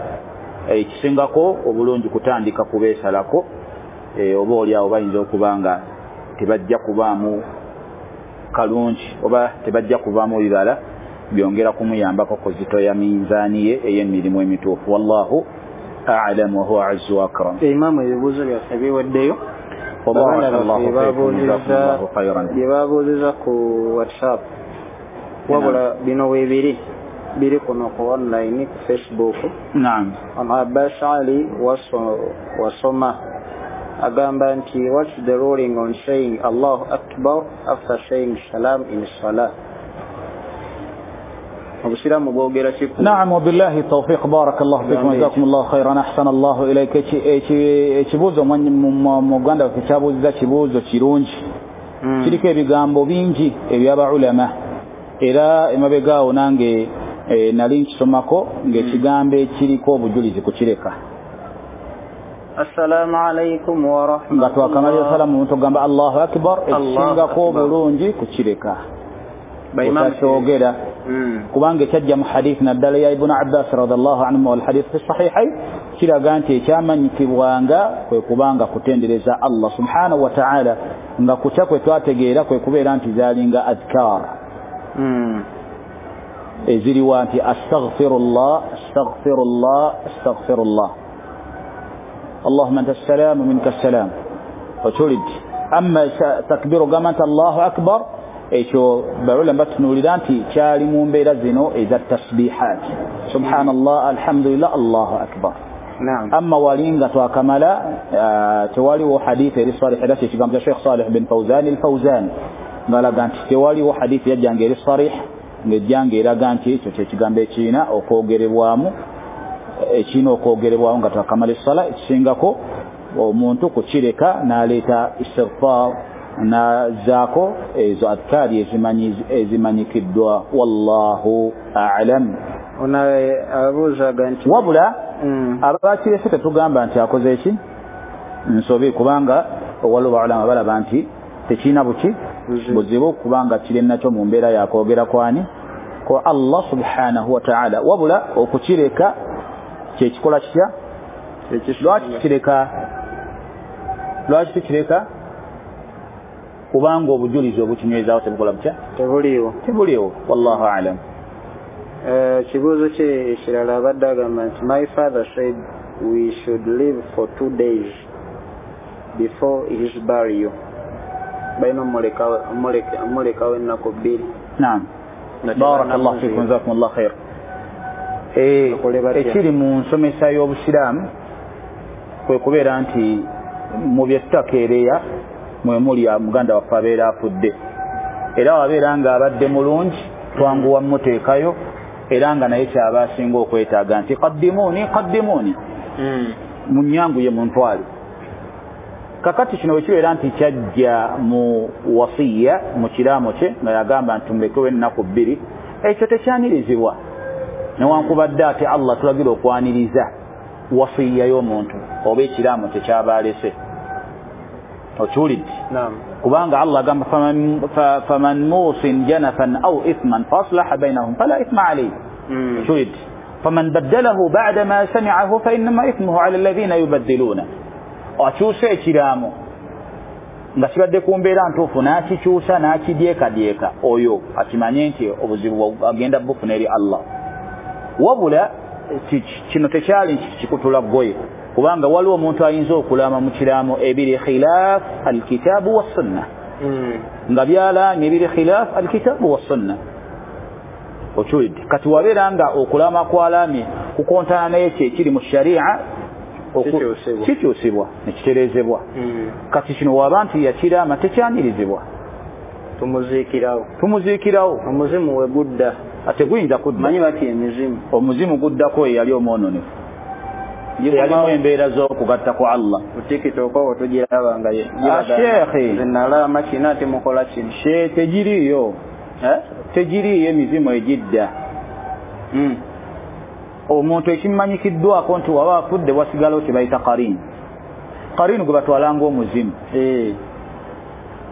ekisingako obulungi kutandika kubeesalako. Oba oli awo bayinza okuba nga tebajja kubaamu kalungi oba tebajja kuvaamu bibala byongera kumuyambako kuzitoya minzaani ye ey'emirimu emituufu. Wallahu a'lam wa huwa azzu wa akram. Imaamu, ebibuuzo byaffe biweddeyo. Bye babuuziza ku WhatsApp, wabula bino weebiri biri kuno ku online ku Facebook. Naam. Abbas Ali wasoma agamba nti what's the ruling on saying Allahu Akbar after saying salam in salah? Obusiraamu bwogera ki? Naam, wabillahi tawfiq, barakallahu fikum, jazakumullahu khairan, ahsana Allahu ilayka. Ekibuuzo muganda waffe kyabuuziza kibuuzo kirungi, kiriko ebigambo bingi eby'abaulama, era emabega awo nange nali nkisomako ng'ekigambo ekiriko obujulizi kukireka. Assalamu alaikum wa rahmatullah. Nga twakamalira salamu omuntu ogamba Allahu Akbar, ekisingako obulungi kukireka otakyogera, kubanga ekyajja mu hadith naddala ya Ibn Abbas radhiallahu anhu wal hadith fi sahihain kiraga nti ekyamanyikibwanga kwe kubanga kutendereza Allah subhanahu wa ta'ala, nga kutya kwe twategeera kwe kubeera nti zaalinga adhkar eziriwa nti astaghfirullah, astaghfirullah, astaghfirullah, Allahumma anta as-salam wa minka as-salam. Okiwulidde. Amma takbiru ogamba nti Allahu Akbar, ekyo baulama batunuulira nti kyali mu mbeera zino eza tasbihat, subhanallah, alhamdulillah, Allahu Akbar. Amma wali nga twakamala tewaliwo hadith eri sarih, era kyekigambo kya Sheikh Salih bin Fawzan al-Fawzan ng'alaga nti tewaliwo hadith yajjanga eri sarih ng'ejjanga eraga nti ekyo kyekigambo ekirina okwogerebwamu, ekirina okwogerebwamu nga twakamala essala. Ekisingako omuntu kukireka n'aleeta istighfar nazaako ezo adhkari ezimanyikiddwa. Wallahu a'lam. Wabula abakirese tetugamba nti akoze eki nsobi, kubanga waliwo baulama balaba nti tekirina buki buzibu, kubanga kiri nakyo mu mbeera yakwogera kwani kwa Allah subhanahu wa ta'ala. Wabula okukireka kyekikola kitya? Lwaki tukireka? Lwaki tukireka? Kubanga obujulizi obukinywezaawo tebukola butya? Tebuliiwo, tebuliiwo. Wallahu a'lam. Kibuuzo kye ekirala abadde agamba nti my father said we should live for 2 days before his burial. Balina omulekawo ennaku 2. Naam, barakallahu fikum, jazakumullahu khair. Ekiri mu nsomesa y'obusiraamu kwe kubeera nti mu bye tutakeereya mwe muli muganda waffe abeera afudde, era wabeera nga abadde mulungi twanguwa mmuteekayo, era nga naye kyaba asinga okwetaaga nti qaddimuuni qaddimuuni, munyanguye muntwale. Kakati kino bwe kibeera nti kyajja mu wasiya mu kiraamo kye nga yagamba nti mulekewo ennaku 2, ekyo tekyanirizibwa, newankubadde ate Allah tulagira okwaniriza wasiya y'omuntu oba ekiraamo kye kyaba alese. Okiwulidde? Kubanga Allah agamba faman musin janafan aw ithman faaslaha bainahum fala ithma alayhi. Okiwulidde? Faman baddalahu ba'da ma sami'ahu fa innama ithmuhu 'ala alladhina yubaddiluna. Akyusa ekiraamo nga kibadde ku mbeera ntuufu n'akikyusa n'akidyekadyeka, oyo akimanye nti obuzibu agenda bufuna eri Allah. Wabula kino tekyali nti kikutula ggoye, kubanga waliwo omuntu ayinza okulaama mu kiraamo ebiri khilaf alkitaabu wassunna, nga byalaamye ebiri khilaf alkitaabu wassunna. Okiwulidde? Kati wabeera nga okulaama kwalaamye kukontana n'ekyo ekiri mu sharia, kikyusibwa nekitereezebwa. Kati kino waba nti yakiraama tekyanirizibwa, tumuziikirawo. Omuzimu we gudda ate guyinza kudda, manyi bati emizimu, omuzimu guddako eyali omwononefu, yalimu embeera z'okugatta ku Allah. Kutikitoko tugiraba nga sheekhe nalaama kino ate mukola kino. Tegiriiyo, tegiriiyo emizimu egidda. Omuntu ekimanyikiddwako nti waba afudde wasigalawo kye bayita qarin. Qarin gwe batwalanga omuzimu.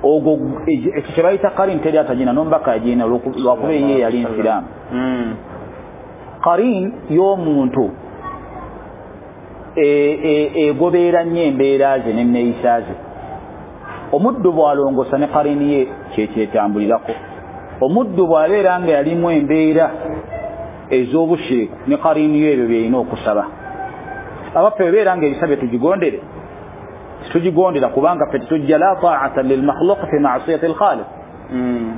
Ogwo ekyo kye bayita qarin teri atagina n'omubaka agina lwakuba ye yali nsiraamu. Qarin y'omuntu egobeera nnyo embeera ze n'enneeyisa ze. Omuddu bw'alongosa ne qarini ye kyekyetambulirako. Omuddu bw'abeera nga yalimu embeera ez'obushiriku ne qarini yo ebyo byerina okusaba. Abaffe bebeera nga ebisa bye tugigondere, titugigondera kubanga ffe tetujja la ta'ata lilmakhluq fi ma'siyati alkhaliq.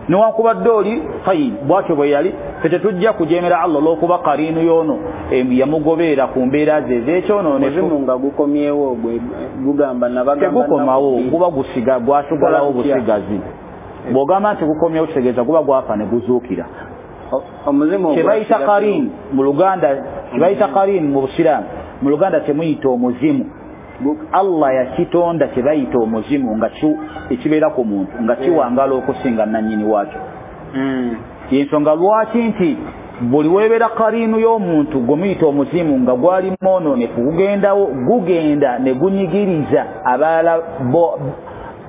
Newankubadde oli tayyib bwatyo bwe yali, ffe tetujja kujeemera Allah olw'okuba qariinu y'ono yamugobeera ku mbeera ze ez'ekyonoonefu. Omuzimu nga gukomyewo gugamba nabagamba tegukomawo, guba gusiga gwasigalawo busigazi. Bw'ogamba nti gukomyewo kitegeeza guba gwafa ne guzuukira. Kyebayita qarin mu Luganda, kyebayita qarin mu Busiraamu, mu Luganda temuyita omuzimu. Allah yakitonda kyebayita omuzimu nga ekibeera ku muntu nga kiwangala okusinga nannyini waakyo. Yensonga lwaki nti buli weebeera qariinu y'omuntu gwe muyita omuzimu nga gwali mwonoonefu gugendawo, gugenda ne gunyigiriza abalala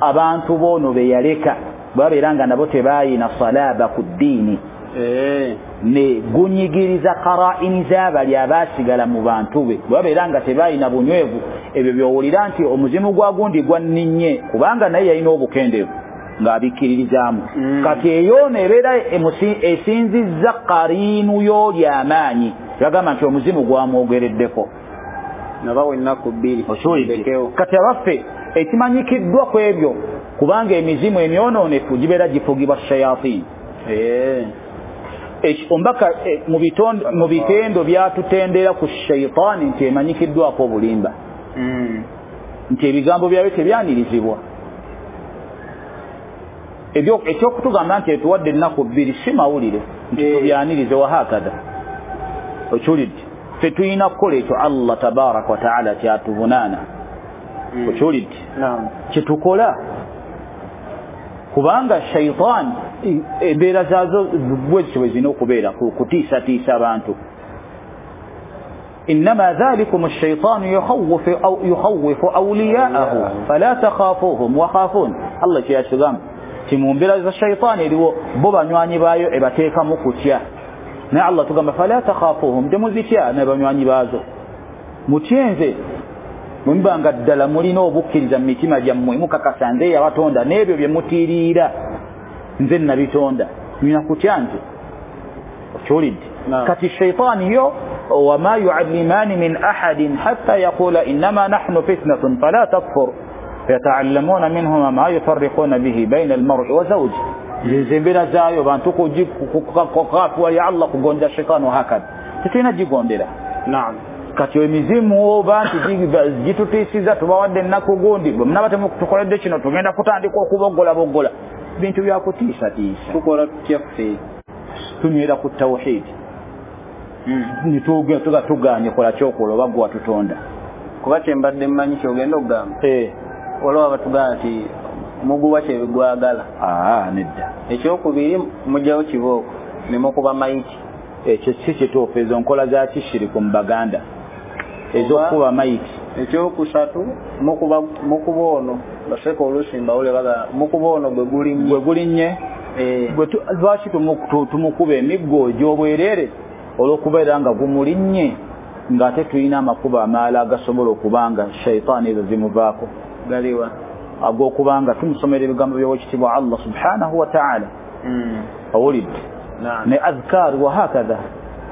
abantu boono be yaleka babeera nga nabo tebaayina salaba ku ddiini, ne gunyigiriza qara'ini z'abali abaasigala mu bantu be babeera nga tebalina bunywevu. Ebyo by'owulira nti omuzimu gwa gundi gwanninnye kubanga naye yalina obukendeevu ng'abikkiririzaamu. Kati eyo neebeera esinzizza qariinu y'oli amaanyi, bagamba nti omuzimu gwamwogereddeko nabawa ennaku bbiri. Kati abaffe ekimanyikiddwa ku ebyo, kubanga emizimu emyonoonefu gibeera gifugibwa shayatini. Ombaka mu bitendo byatutendera ku shaitaani nti emanyikiddwako obulimba, nti ebigambo byayo tebyanirizibwa. Ekyokutugamba nti etuwadde ennaku bbiri si mawulire nti tubyanirize wahakada. Okiwulidde? Ffe tulina kukola ekyo Allah tabaraka wataala kyatuvunaana. Okiwulidde? Kyetukola, kubanga shaitaani embeera zaazo bwezityo bwe zirina okubeera kutiisatiisa abantu. Innama dhalikum ash-shaytanu yukhawwifu awliya'ahu fala takhafuhum wa khafun. Allah kyeyatugamba nti mu mbeera za shaitaani eriwo bo banywanyi baayo ebateekamu kutya, naye Allah tugamba fala takhafuhum, temuzitya ne banywanyi baazo, mutye nze bwe muba nga ddala mulina obukkiriza mu mitima gyammwe, mukakasa nze yabatonda n'ebyo bye mutiiriira nze nabitonda, mulina kutya nze. Okiwulidde? Kati shaitaani yo wama yuallimani min ahadin hatta yaqula innama nahnu fitnatun fala takfur fayataallamuna minhuma ma yufarriquna bihi baina almar'i wa zawji. Nze embeera zaayo bantu kukafuwalya Allah kugonja shaitaani wahakadha, tetulina gigondera. Kati emizimu oba nti gitutiisiza tubawadde ennaku gundi, bwe munaba temutukoledde kino tugenda kutandika okuboggolaboggola. Bintu byakutiisatiisa. Tukola tutya ffe? Tunywera ku tawhidi, nituga tuganye kola kyokola oba gwe watutonda. Kuba kyembadde mmanyi kyogenda okugamba, waliwo abatugamba nti muguwa kyebigwagala. Nedda. Ekyokubiri mugyawo kibooko ne mukuba mayiti. Ekyo si kituufu, ezo nkola za kishiriku mu Baganda ez'okukuba mayiti. Ekyokusatu mukuba ono baseka oluusi mbawule bagamba mukuba ono gwe gulinnye. Gwe gulinnye. Lwaki tumukuba emiggo egy'obwereere? Olw'okubeera nga gumulinnye ng'ate tulina amakubo amalala agasobola okubanga shaitaani ezo zimuvaako. Galiwa? Ag'okubanga tumusomera ebigambo by'owekitiibwa Allah subhanahu wa ta'ala. Owulidde? Ne adhkar wa hakadha,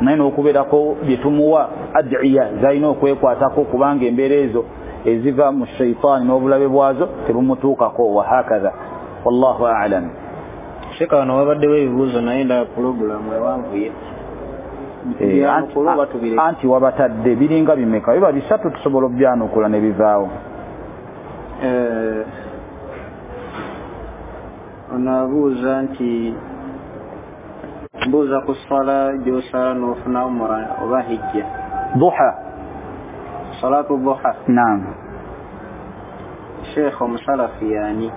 naye n'okubeerako bye tumuwa adiya zalina okwekwatako kubanga embeera ezo eziva mu shaitaani n'obulabe bwazo tebumutuukako wa hakadha. Wallahu a'lam. Sheikh, wano wabaddewo ebibuuzo naye ndaba pulogulaamu ewanvuye. Anti wabatadde biringa bimeka? Biba bisatu tusobola obyanukula ne bivaawo. Ono abuuza nti mbuuza ku ssala gy'osala n'ofuna umura oba hijja. Duha. Salatu duha. Naam. Sheikh, omusalafu yaani?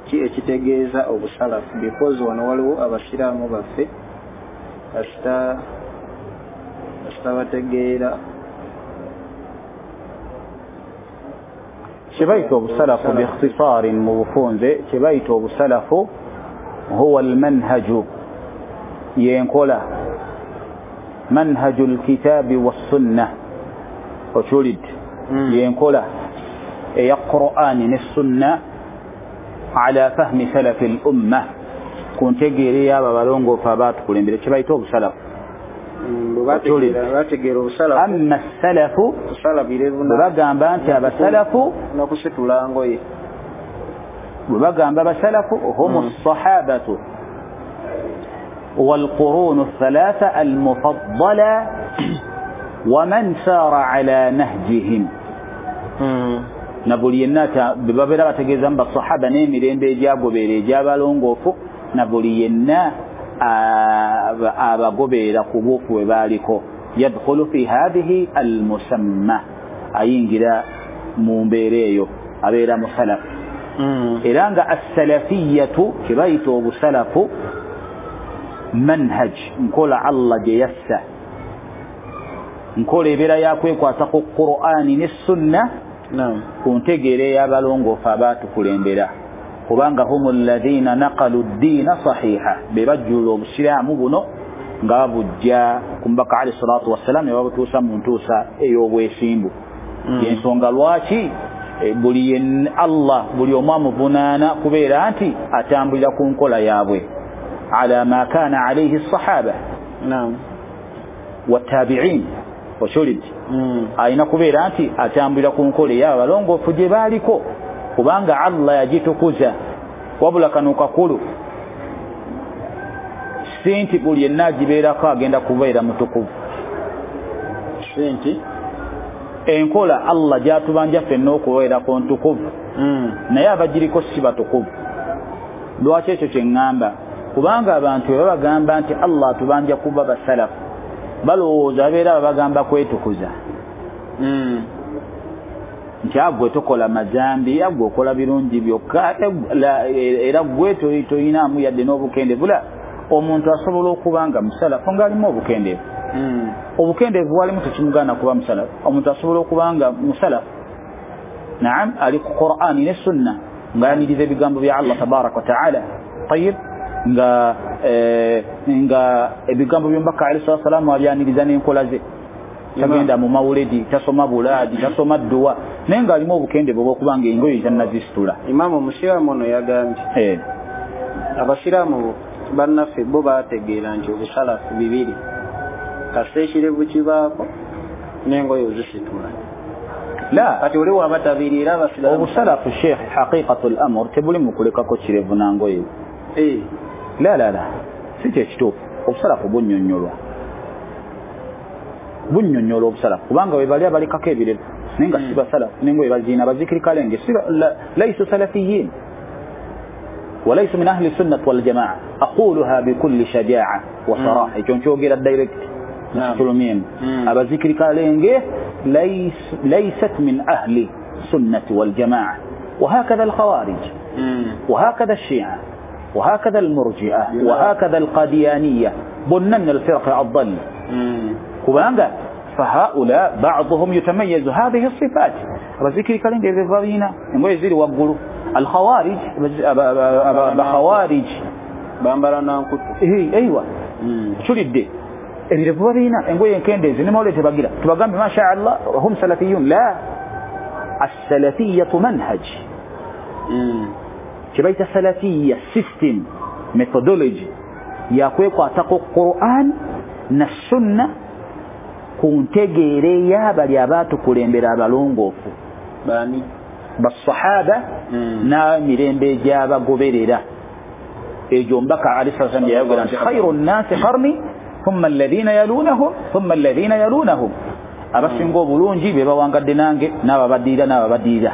Ki ekitegeeza obusalafu? Because wano waliwo abasiraamu baffe kasita bategeera. Kyebayita obusalafu biikhtisaarin mu bufunze, kyebayita obusalafu huwa almanhaju, yenkola manhaju lkitaabi wassunna. Okiwulidde? Yenkola eya Qur'ani ne sunna ala fahmi salafi l umma, ku ntegeera ey'abo abalongoofu abaatukulembera, kyebayita obusalafu. Amma salafu bwe bagamba nti abasalafu n'okusitula ngoye, bwe bagamba abasalafu humu ssahabatu والقرون الثلاثة المفضلة ومن سار على نهجهم. Na buli yenna bwe babeera bategeeza mu basahaba n'emirembe egyagobeera egy'abalongoofu, na buli yenna abagobeera ku buufu bwe baaliko, yadkhulu fi hadhihi almusamma, ayingira mu mbeera eyo abeera musalafu. Era nga assalafiyatu kye bayita obusalafu manhaj, nkola Allah gye yassa, nkola ebeera yakwekwata ku Qur'ani ne sunna ku ntegeera ey'abalongoofu abaatukulembera, kubanga humu alladhina naqalu ddiina sahiha, be bajjulula obusiraamu buno nga babujja ku mubaka alayhi salatu wassalam ne babutuusa mu ntuusa ey'obwesimbu. Yensonga lwaki buli Allah buli omu amuvunaana kubeera nti atambulira ku nkola yaabwe ala ma kana alayhi sahaba wattabiin. Okiwulidde? Alina kubeera nti atambulira ku nkola ey'abo abalongoofu gye baaliko, kubanga Allah yagitukuza. Wabula kano kakulu, si nti buli yenna agibeerako agenda kubeera mutukuvu. Si nti enkola Allah gy'atubanja ffenna okubeerako ntukuvu, naye abagiriko si batukuvu. Lwaki ekyo kye ŋŋamba? Kubanga abantu bwe babagamba nti Allah atubanja kuba basalafu, balowooza babeera babagamba kwetukuza, nti agwe tokola mazambi, agwe okola birungi byokka, era gwe toyinaamu yadde n'obukendeevu. La, omuntu asobola okuba nga musalafu ng'alimu obukendeevu. Obukendeevu walimu tekimugaana kuba musalafu. Omuntu asobola okuba nga musalafu, naam, ali ku Qur'ani ne sunna, ng'ayaniriza ebigambo bya Allah tabaraka wa ta'ala, tayib, nga ebigambo by'omubaka alayhi salatu wassalamu abyaniriza n'enkola ze, tagenda mu mawuledi, tasoma bulaadi, tasoma dduwa, naye ng'alimu obukendeevu obw'okubanga engoye tannazisitula. Imaamu omusiraamu ono yagambye abasiraamu bannaffe bo baategeera nti obusalafu bibiri, kasita ekirevu kibaako n'engoye ozisitula. La, kati oli waba tabiriira abasiraamu obusalafu sheikh, haqiqatu l-amr tebuli mu kulekako kirevu na ngoye. La la la, si kyekituufu. Obusalafu bunnyonnyolwa, bunnyonnyola obusalafu, kubanga bwe bali abalikako ebirevu naye nga si basalafu, n'engoye baziina bazikirikalenge, laisu salafiyin walaisu min ahli sunnati waljamaa. Aquluha bikulli shajaa wa saraha, ekyo nkyogera direct tulumyemu. Abazikirikalenge laysat min ahli sunnati waljamaa, wahakadha alkhawarij wahakadha alshia وهكذا المرجئة وهكذا القاديانية، بنا من الفرق الضال. كبانغا فهؤلاء بعضهم يتميز هذه الصفات. بذكر كلام يفضينا ويزيد وقولوا الخوارج، بخوارج Bambala nankutu. Eiwa. Tulidde ebirevu babirina, engoye enkendeezi ne mawulire tebagira. Tubagambe masha Allah hum salafiyun. La, as-salafiyatu manhaj. Kyebayita salafiya system, methodology yakwekwatako Quran na sunna ku ntegeera ey'abali abaatukulembera abalongoofu bani basahaba n'emirembe egy'abagoberera. Egyo Omubaka alayhi salatu wassalam yayogera nti khairu nnaasi qarni thumma alladhina yalunahum thumma alladhina yalunahum, abasinga obulungi be bawangadde nange n'ababaddirira n'ababaddirira.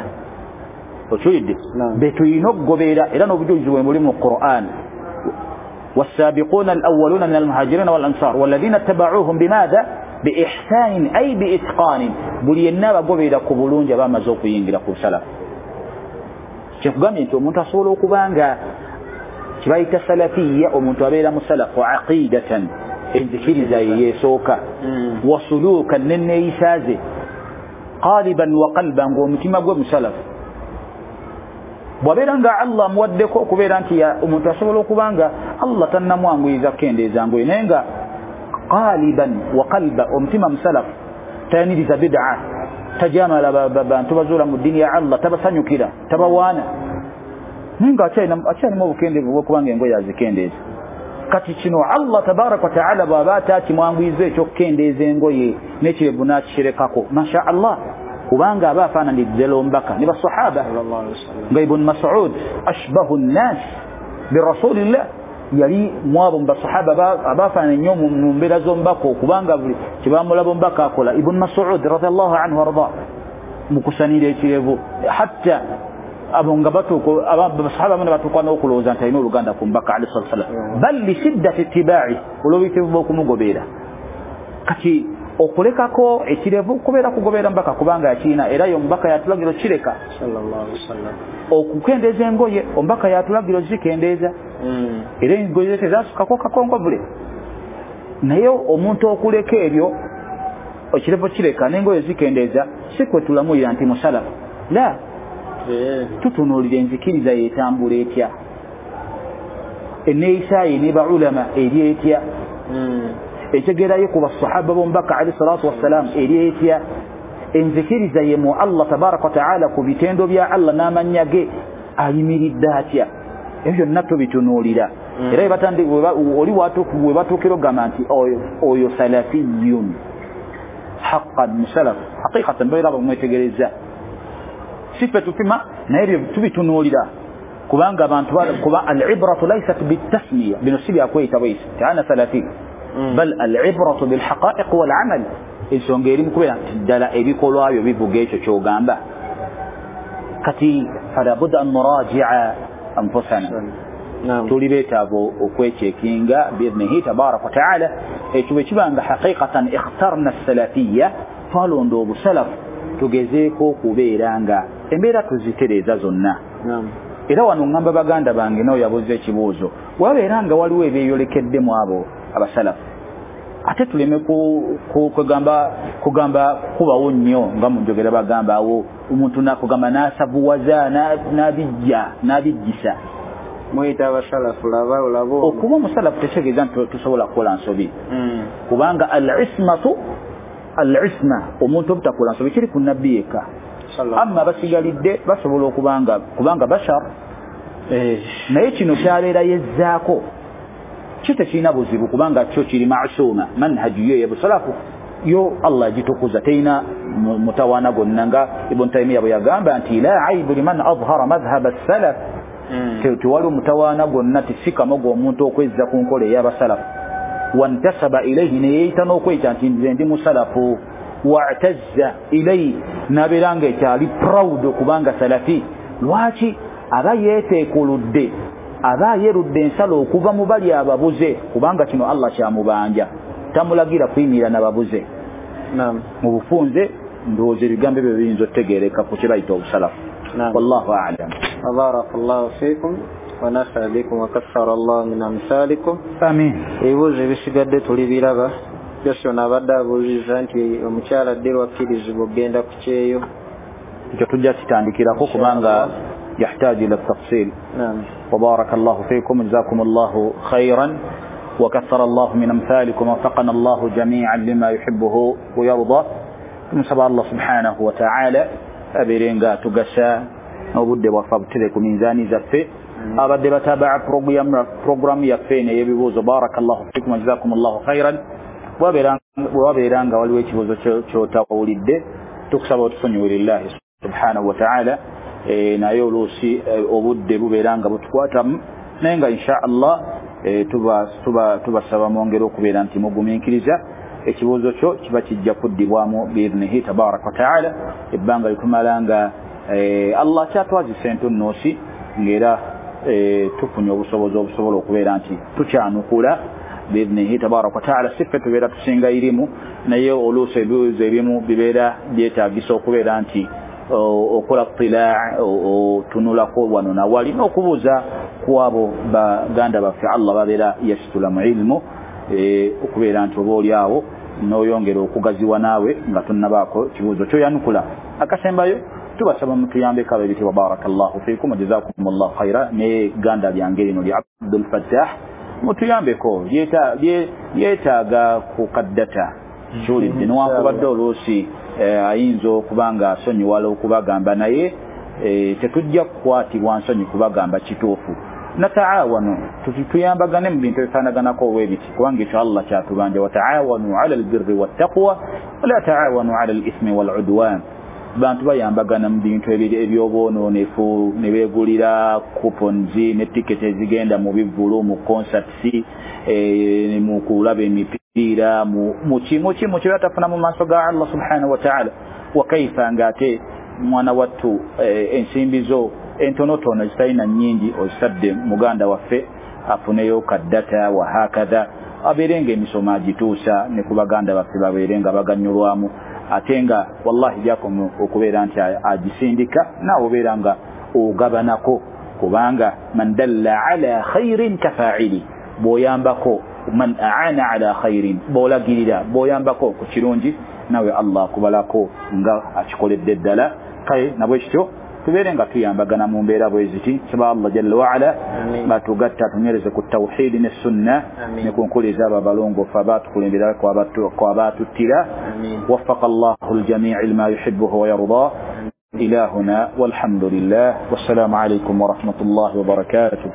Okiwulidde? Be tulina okugoberera, era n'obujulizi bwe muli mu Quran. والسابقون الأولون من المهاجرين والأنصار والذين اتبعوهم بماذا؟ بإحسان أي بإتقان. Buli yenna abagoberera ku bulungi abamaze okuyingira ku salafu. Kyekugambye nti omuntu asobola okuba nga kibayita salafiya, omuntu abeera musalafu aqidatan, enzikiriza ye yeesooka, wasuluukan, nenneeyisa ze, qaliban wa qalban, ng'omutima gwe musalafu. Bw'abeera nga Allah amuwaddeko okubeera nti omuntu asobola okuba nga Allah tannamwanguyiza kukendeeza ngoye, naye nga qaliban wa qalba, omutima musalafu, tayaniriza bid'a, tajamala bantu bazuula mu ddiini ya Allah, tabasanyukira, tabawaana, naye nga akyalimu obukendeevu bw'okubanga engoye azikendeeza. Kati kino Allah tabaraka wa taala bw'aba atakimwanguyiza ekyokukendeeza engoye n'ekirevu n'akikirekako, masha Allah, kubanga aba afaananidde Omubaka ne basahaba nga Ibn Mas'ud ashbahu nnas birasulillah, yali mwabo mu basahaba abafaanana ennyo mu mbeera z'Omubaka, okubanga buli kyebamulaba Omubaka akola. Ibn Mas'ud radiyallahu anhu warda mu kusanira ekirevu, hatta abo nga batuuka abasahaba bano batuuka n'okulowooza nti alina oluganda ku Mubaka alayhi salatu wassalam, bal li shiddati ittiba'i, olw'obuyitivu bw'okumugoberera. Kati okulekako ekirevu kubeera kugoberera Mubaka, kubanga yakirina, era ye Omubaka yatulagira okukireka. Sallallahu alaihi wasallam. Okukendeeza engoye Omubaka yatulagira ozikendeeza, era engoye tezasukako kakongovule. Naye omuntu okuleka ebyo, ekirevu kireka n'engoye zikendeeza, si kwe tulamulira nti musalafu. La, tutunuulira enzikiriza yeetambula etya, enneeyisa ye ne baulama eri etya, entegeera ye ku basahaba b'Omubaka alayhi salatu wassalam eri etya, enzikiriza ye mu Allah tabaraka wa taala ku bitendo bya Allah n'amannya ge ayimiridde atya. Ebyo byonna tubitunuulira. Era oli we batuukira okugamba nti oyo salafiyun haqqan, musalafu haqiqatan, babeera bamwetegereza. Si ffe tupima, naye ebyo tubitunuulira, kubanga abantu kuba al-ibratu laysat bitasmiya, bino si byakweyita bweyisi nti ana salafi, bal al-ibratu bilhaqaiq wal-amal. Ensonga eri mu kubeera nti ddala ebikolwa byo bivuga ekyo ky'ogamba. Kati fala budda an nurajia anfusana, tuli beetaavu okwekyekinga biidnihi tabaraka wa taala. Ekyo bwe kiba nga haqiqatan ikhtarna salafiya, twalonda obusalafu, tugezeeko okubeera nga embeera tuzitereeza zonna. Era wano ngamba baganda bange nawe yabuuza ekibuuzo, wabeera nga waliwo ebyeyolekedde mu abo abasalafu, ate tuleme kugamba kubawo nnyo nga mu njogera bagamba awo omuntu nakugamba n'asavuwaza n'abijja n'abijjisa. Muyita abasalafu laba olaba. Okuba omusalafu tekitegeeza nti tusobola kukola nsobi, kubanga al-ismatu al-isma, omuntu obutakola nsobi kiri ku nabbi yekka. Amma abasigalidde basobola okubanga kubanga bashar, naye kino kyabeera yezzaako kyo tekirina buzibu, kubanga kyo kiri masuuma, manhaji yo ey'obusalafu yo Allah agitukuza, terina mutawaana gwonna, nga Ibn Taymiya bwe yagamba nti la aibu liman adhara madhhaba as-salaf, tewali omutawaana gwonna, tisikamoga omuntu okwezza ku nkola ey'abasalafu. Wantasaba ilayhi, neyeeyita n'okweyita nti nze ndi musalafu, wa'tazza ilayhi, n'abeera nga ekyali proud okubanga salafi. Lwaki? Aba yeeteekuludde, aba ayerudde ensalo okuva mu bali ababuze, kubanga kino Allah kyamubanja, tamulagira kuyimirira n'ababuze. Mu bufunze ndowooza ebigambo ebyo biyinza okutegeereka ku kye bayita obusalafu. Wallahu a'lam. Barakallahu fiikum wa nafa'a bikum wa kaththara Allah min amsalikum. Amin. Ebibuuzo ebisigadde tulibiraba. Byose ono abadde abuuzizza nti omukyala ddi lwakkirizibwa okugenda ku kyeyo. Ekyo tujja kitandikirako, kubanga يحتاج إلى التفصيل. وبارك الله فيكم، جزاكم الله خيرا وكثر الله من أمثالكم ووفقنا الله جميعا لما يحبه ويرضى. نسأل الله سبحانه وتعالى abeere tugasa n'obudde bwaffe abutere ku minzaani zaffe. Abadde batabaa programu yaffe eno ey'ebibuuzo, barakallahu fikum jazakum llahu khairan. Bwewabeera nga waliwo ekibuuzo ky'otawulidde, tukusaba otusonyiwe lillahi subhanahu wa ta'ala. Naye oluusi obudde bubeera nga butukwatamu, naye nga insha Allah tubasaba mwongere okubeera nti mugumiikiriza. Ekibuuzo kyo kiba kijja kuddibwamu biidhnihi tabaraka wa taala ebbanga litumala nga Allah kyatwazisa entunnoosi, ng'era tufunye obusobozi obusobola okubeera nti tukyanukula biidhnihi tabaraka wa taala. Si ffe tubeera tusinga irimu, naye oluusi ebibuuzo ebimu bibeera byetaagisa okubeera nti okola tilaa, otunulako wano nawali n'okubuuza ku abo baganda baffe Allah babeera yasitula mu ilmu, okubeera nti oba oli awo n'oyongera okugaziwa naawe nga tonnabaako kibuuzo kyoyanukula. Akasembayo tubasaba mutuyambeko ab'ebitiibwa, barakallahu fiikum jazakum llahu khaira. Ne ganda lyange lino lya Abdul Fattah mutuyambeko, yeetaaga ku kaddata kiwulidde, newankubadde oluusi ayinza okuba nga asonyiwala okubagamba, naye tetujja kukwatibwa nsonyi kubagamba kituufu. Nataawanu, tuyambagane mu bintu ebifaanaganako olw'ebiti, kubanga ekyo Allah kyatubanja, wataawanu ala albirri wattaqwa wala taawanu ala alithmi waludwan. Bantu bayambagana mu bintu ebyobwonoonefu, ne beegulira coupons ne tiketi ezigenda mu bivvulu, mu concerts, mu kulaba emipiira, muki muki muki batafuna mu maaso ga Allah subhanahu wa ta'ala. Wakaifa ng'ate mwana wattu ensimbi zo entonotono zitalina nnyingi ozitadde muganda waffe afuneyo kaddata wa hakadha, abeere nga emisomo agituusa ne ku baganda baffe babeere nga baganyulwamu, ate nga wallahi gyakoma okubeera nti agisindika naawe obeera nga ogabanako, kubanga man dalla ala khairin kafaili, bw'oyambako, man aana ala khairin, bw'olagirira, bw'oyambako ku kirungi nawe Allah akubalako nga akikoledde ddala. Kale nabwe kityo tubeere nga tuyambagana mu mbeera bwe ziti. Nsaba Allah jalla waala batugatta atunywereze ku tawhidi ne sunna ne ku nkuliza abo abalongoofu abaatukulembera kwabatuttira. Waffaka Allahu ljamii lima yuhibbuhu wa yarda. Ilahuna walhamdulillah, wassalamu alaikum warahmatullahi wabarakatuh.